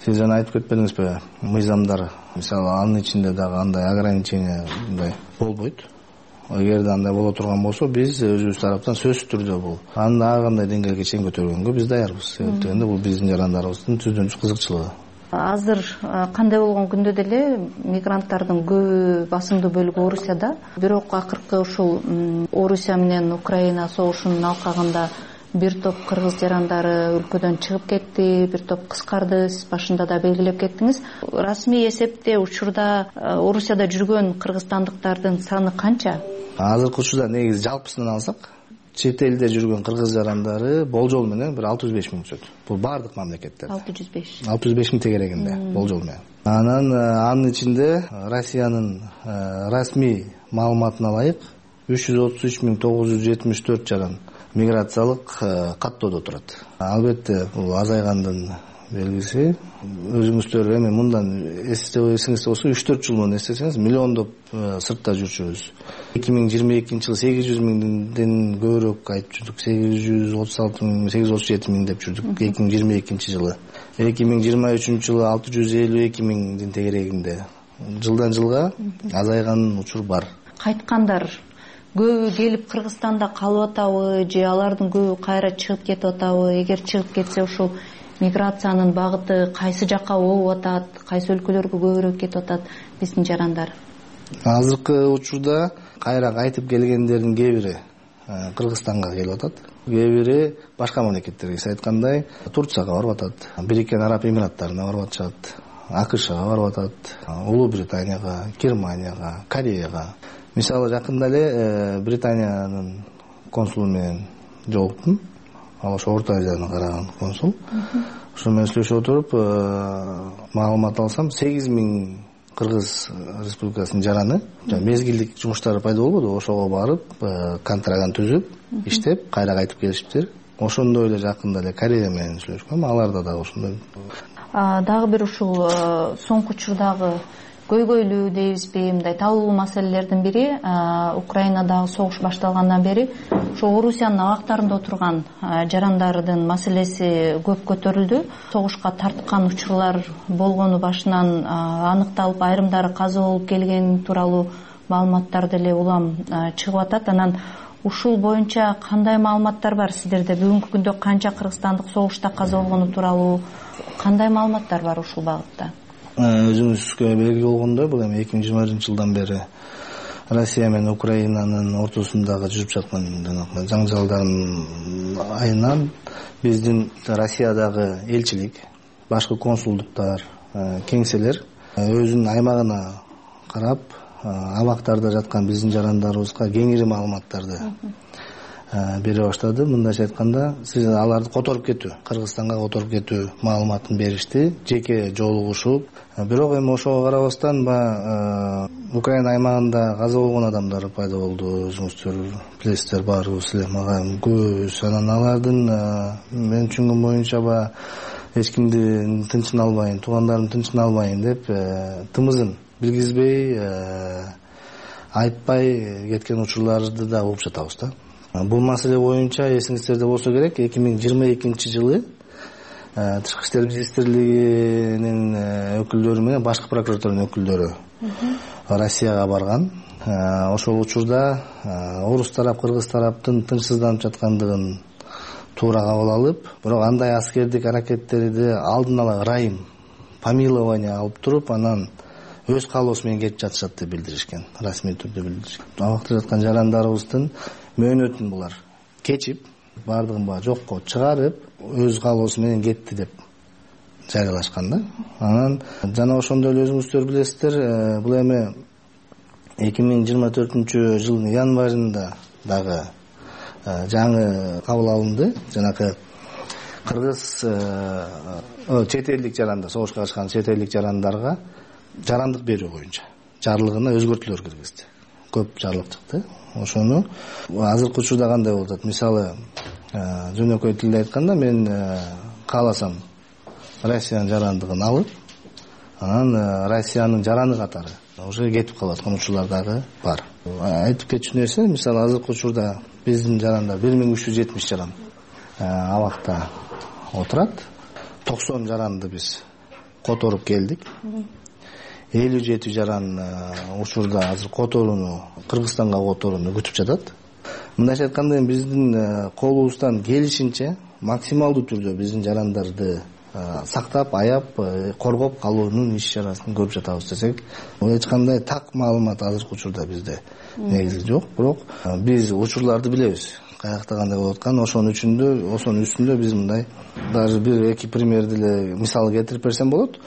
сиз жана айтып кетпедиңизби, мыйзамдар, мисалы анын ичинде дагы андай ограничение мындай болбойт. Эгерде андай боло турган болсо, биз өзүбүз тараптан сөзсүз түрдө бул аны ар кандай деңгээлге чейин көтөргөнгө биз даярбыз. Себеп дегенде бул биздин жарандарыбыздын түздөн түз кызыкчылыгы. Азыр кандай болгон күндө деле мигранттардын көбү басымдуу бөлүгү Орусияда. Бирок акыркы ушул Орусия менен Украина согушунун алкагында бир топ кыргыз жарандары өлкөдөн чыгып кетти, бир топ кыскарды. Сиз башында да белгилеп кеттиңиз. Расмий эсепте учурда Орусияда жүргөн кыргызстандыктардын саны канча? Азыркы учурда негизи жалпысынан алсак, чет элде жүргөн кыргыз жарандары болжол менен бир алты жүз беш миң түшөт. Бул баардык мамлекеттерде. алты жүз беш. алты жүз беш миң тегерегинде болжол менен. Анан анын ичинде Россиянын расмий маалыматына ылайык үч жүз отуз үч миң тогуз жүз жетимиш төрт жаран миграциялык каттоодо турат. Албетте бул азайгандын белгиси. Өзүңүздөр эми мындан эсиңизде болсо үч төрт жыл мурун эстесеңиз, миллиондоп сыртта жүрчүбүз. эки миң жыйырма экинчи жылы сегиз жүз миңден көбүрөөк айтып жүрдүк. сегиз жүз отуз алты миң, сегиз жүз отуз жети миң деп жүрдүк эки миң жыйырма экинчи жылы. эки миң жыйырма үчүнчү жылы алты жүз элүү эки миңдин тегерегинде. Жылдан жылга азайган учур бар. Кайткандар көбү келип Кыргызстанда калып атабы же алардын көбү кайра чыгып кетип атабы? Эгер чыгып кетсе ушул миграциянын багыты кайсы жакка болуп атат, кайсы өлкөлөргө көбүрөөк кетип атат биздин жарандар? азыркы учурда кайра кайтып келгендердин кээ бири Кыргызстанга келип атат, кээ бири башка мамлекеттерге, сиз айткандай Турцияга барып атат, Бириккен Араб Эмираттарына барып атышат, АКШга барып атат, Улуу Британияга, Германияга, Кореяга. Мисалы жакында эле Британиянын консулу менен жолуктум. Ал ошо Орто Азияны караган консул. Ошо менен сүйлөшүп отуруп, маалымат алсам, сегиз миң Кыргыз Республикасынын жараны мезгилдик жумуштары пайда болбоду, ошого барып, контраган түзүп, иштеп, кайра кайтып келишиптир. Ошондой эле жакында эле Корея менен сүйлөшкөм, аларда дагы ошондой. Дагы бир ушул соңку учурдагы көйгөйлүү дейбизби, мындай талкуу маселелердин бири Украинадагы согуш башталгандан бери ошо Орусиянын абактарында отурган жарандардын маселеси көп көтөрүлдү. Согушка тарткан учурлар болгону башынан аныкталып, айрымдары каза болуп келген тууралуу маалыматтар деле улам чыгып атат. Анан ушул боюнча кандай маалыматтар бар сиздерде? Бүгүнкү күндө канча кыргызстандык согушта каза болгону тууралуу кандай маалыматтар бар ушул багытта? Өзүңүзгө белгилүү болгондой, бул эми эки миң жыйырма биринчи жылдан бери Россия менен Украинанын ортосундагы жүрүп жаткан жаңжалдардын айынан биздин Россиядагы элчилик, башкы консулдуктар, кеңселер өзүнүн аймагына карап, абактарда жаткан биздин жарандарыбызга кеңири маалыматтарды бере баштады. Мындайча айтканда, сиз аларды которуп кетүү, Кыргызстанга которуп кетүү маалыматын беришти, жеке жолугушуп. Бирок эми ошого карабастан Украина аймагында каза болгон адамдар пайда болду. Өзүңүздөр билесиздер, баарыбыз эле мага көбүс. Анан алардын мен түшүнгөн боюнча ба эч кимдин тынчын албайын, туугандарымдын тынчын албайын деп тымызын билгизбей, айтпай кеткен учурларды да угуп жатабыз да. Бул маселе боюнча эсиңиздерде болсо керек, эки миң жыйырма экинчи жылы Тышкы иштер министрлигинин өкүлдөрү менен башкы прокуратуранын өкүлдөрү Россияга барган. Ошол учурда орус тарап, кыргыз тараптын тынчсызданып жаткандыгын туура кабыл алып, бирок андай аскердик аракеттерди алдын ала ырайым, помилование алып туруп, анан өз каалоосу менен кетип жатышат деп билдиришкен, расмий түрдө билдиришкен. Абакта жаткан жарандарыбыздын мөөнөтүн булар кечип, бардыгын баа жокко чыгарып, өз каалоосу менен кетти деп жарыялашкан да. Анан жана ошондой эле өзүңүздөр билесиздер, бул эми эки миң жыйырма төртүнчү жылдын январында дагы жаңы кабыл алынды. Жанакы кыргыз чет элдик жарандар, согушка катышкан чет элдик жарандарга жарандык берүү боюнча жарлыгына өзгөртүүлөр киргизди. Көп жарлык чыкты. Ошону азыркы учурда кандай болуп атат? Мисалы, жөнөкөй тилде айтканда, мен кааласам Россиянын жарандыгын алып, анан Россиянын жараны катары уже кетип калып аткан учурлар дагы бар. Айтып кетчү нерсе, мисалы азыркы учурда биздин жарандар бир миң үч жүз жетимиш жаран абакта отурат. токсон жаранды биз которуп келдик. элүү жети жаран учурда азыр которууну, Кыргызстанга которууну күтүп жатат. Мындайча айтканда, биздин колубуздан келишинче максималдуу түрдө биздин жарандарды сактап, аяп, коргоп калуунун иш чарасын көрүп жатабыз десек, эч кандай так маалымат азыркы учурда бизде негизи жок. Бирок биз учурларды билебиз. Каякта кандай болуп аткан, ошонун үчүндө, ошонун үстүндө биз мындай даже бир эки примерди эле мисал келтирип берсем болот.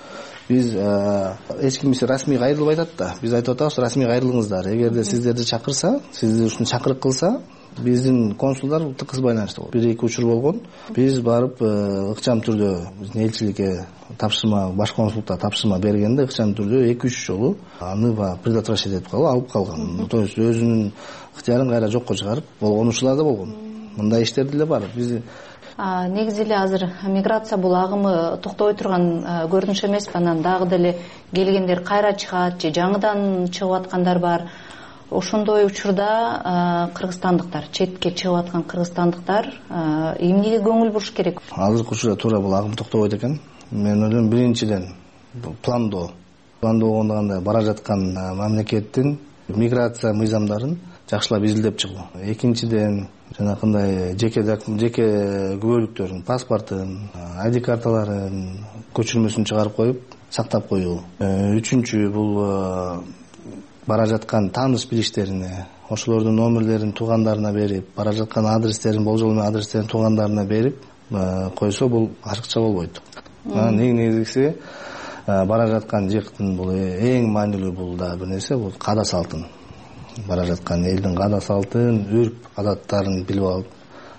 Биз эч ким расмий кайрылбай атат да. Биз айтып атабыз, расмий кайрылыңыздар. Эгерде сиздерди чакырса, сизди ушун чакырык кылса, биздин консулдар тыкыз байланышта болот. Бир эки учур болгон. Биз барып ыкчам түрдө биздин элчиликке тапшырма, баш консулдукка тапшырма бергенде ыкчам түрдө эки үч жолу аны ба предотвращать этип калып алып калган. То есть өзүнүн ыктыярын кайра жокко чыгарып болгон учурлар да болгон. Мындай иштер деле бар. Биз негизи эле азыр миграция бул агымы токтобой турган көрүнүш эмес. Анан дагы деле келгендер кайра чыгат же жаңыдан чыгып аткандар бар. Ошондой учурда кыргызстандыктар, четке чыгып аткан кыргызстандыктар эмнеге көңүл буруш керек? Азыркы учурда туура бул агым токтобойт экен. Мен ойлойм, биринчиден пландоо. Пландоо болгондо кандай бара жаткан мамлекеттин миграция мыйзамдарын жакшылап изилдеп чыгуу. Экинчиден жанакындай жеке жеке күбөлүктөрүн, паспортун, ай ди карталарын көчүрмөсүн чыгарып коюп, сактап коюу. Үчүнчү бул бара жаткан тааныш билиштерине, ошолордун номерлерин туугандарына берип, бара жаткан адрестерин, болжол менен адрестерин туугандарына берип койсо бул ашыкча болбойт. Анан эң негизгиси бара жаткан жыктын бул эң маанилүү бул да бир нерсе, бул каада салтын. Бара жаткан элдин каада салтын, үрп адаттарын билип алып,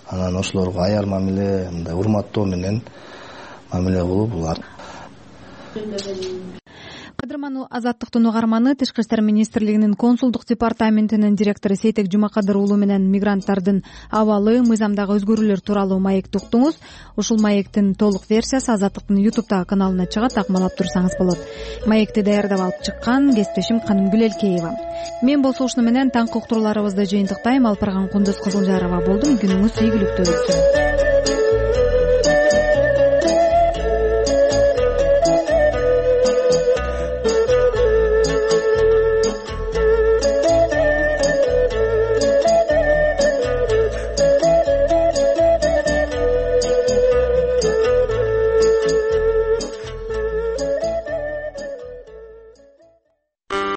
анан ошолорго аяр мамиле, мындай урматтоо менен мамиле кылуу бул. кадырман Азаттыктын угарманы Тышкы иштер министрлигинин консулдук департаментинин директору Сейтек Жумакадыр уулу менен мигранттардын абалы, мыйзамдагы өзгөрүүлөр тууралуу маекти уктуңуз. Ушул маектин толук версиясы Азаттыктын ютубтагы каналына чыгат, акмалап турсаңыз болот. Маекти даярдап алып чыккан кесиптешим Канымгүл Элкеева. Мен болсо ушуну менен таңкы уктурууларыбызды жыйынтыктайм. Алпарган Кундуз Кызылжарова болдум. Күнүңүз ийгиликтүү өтсүн.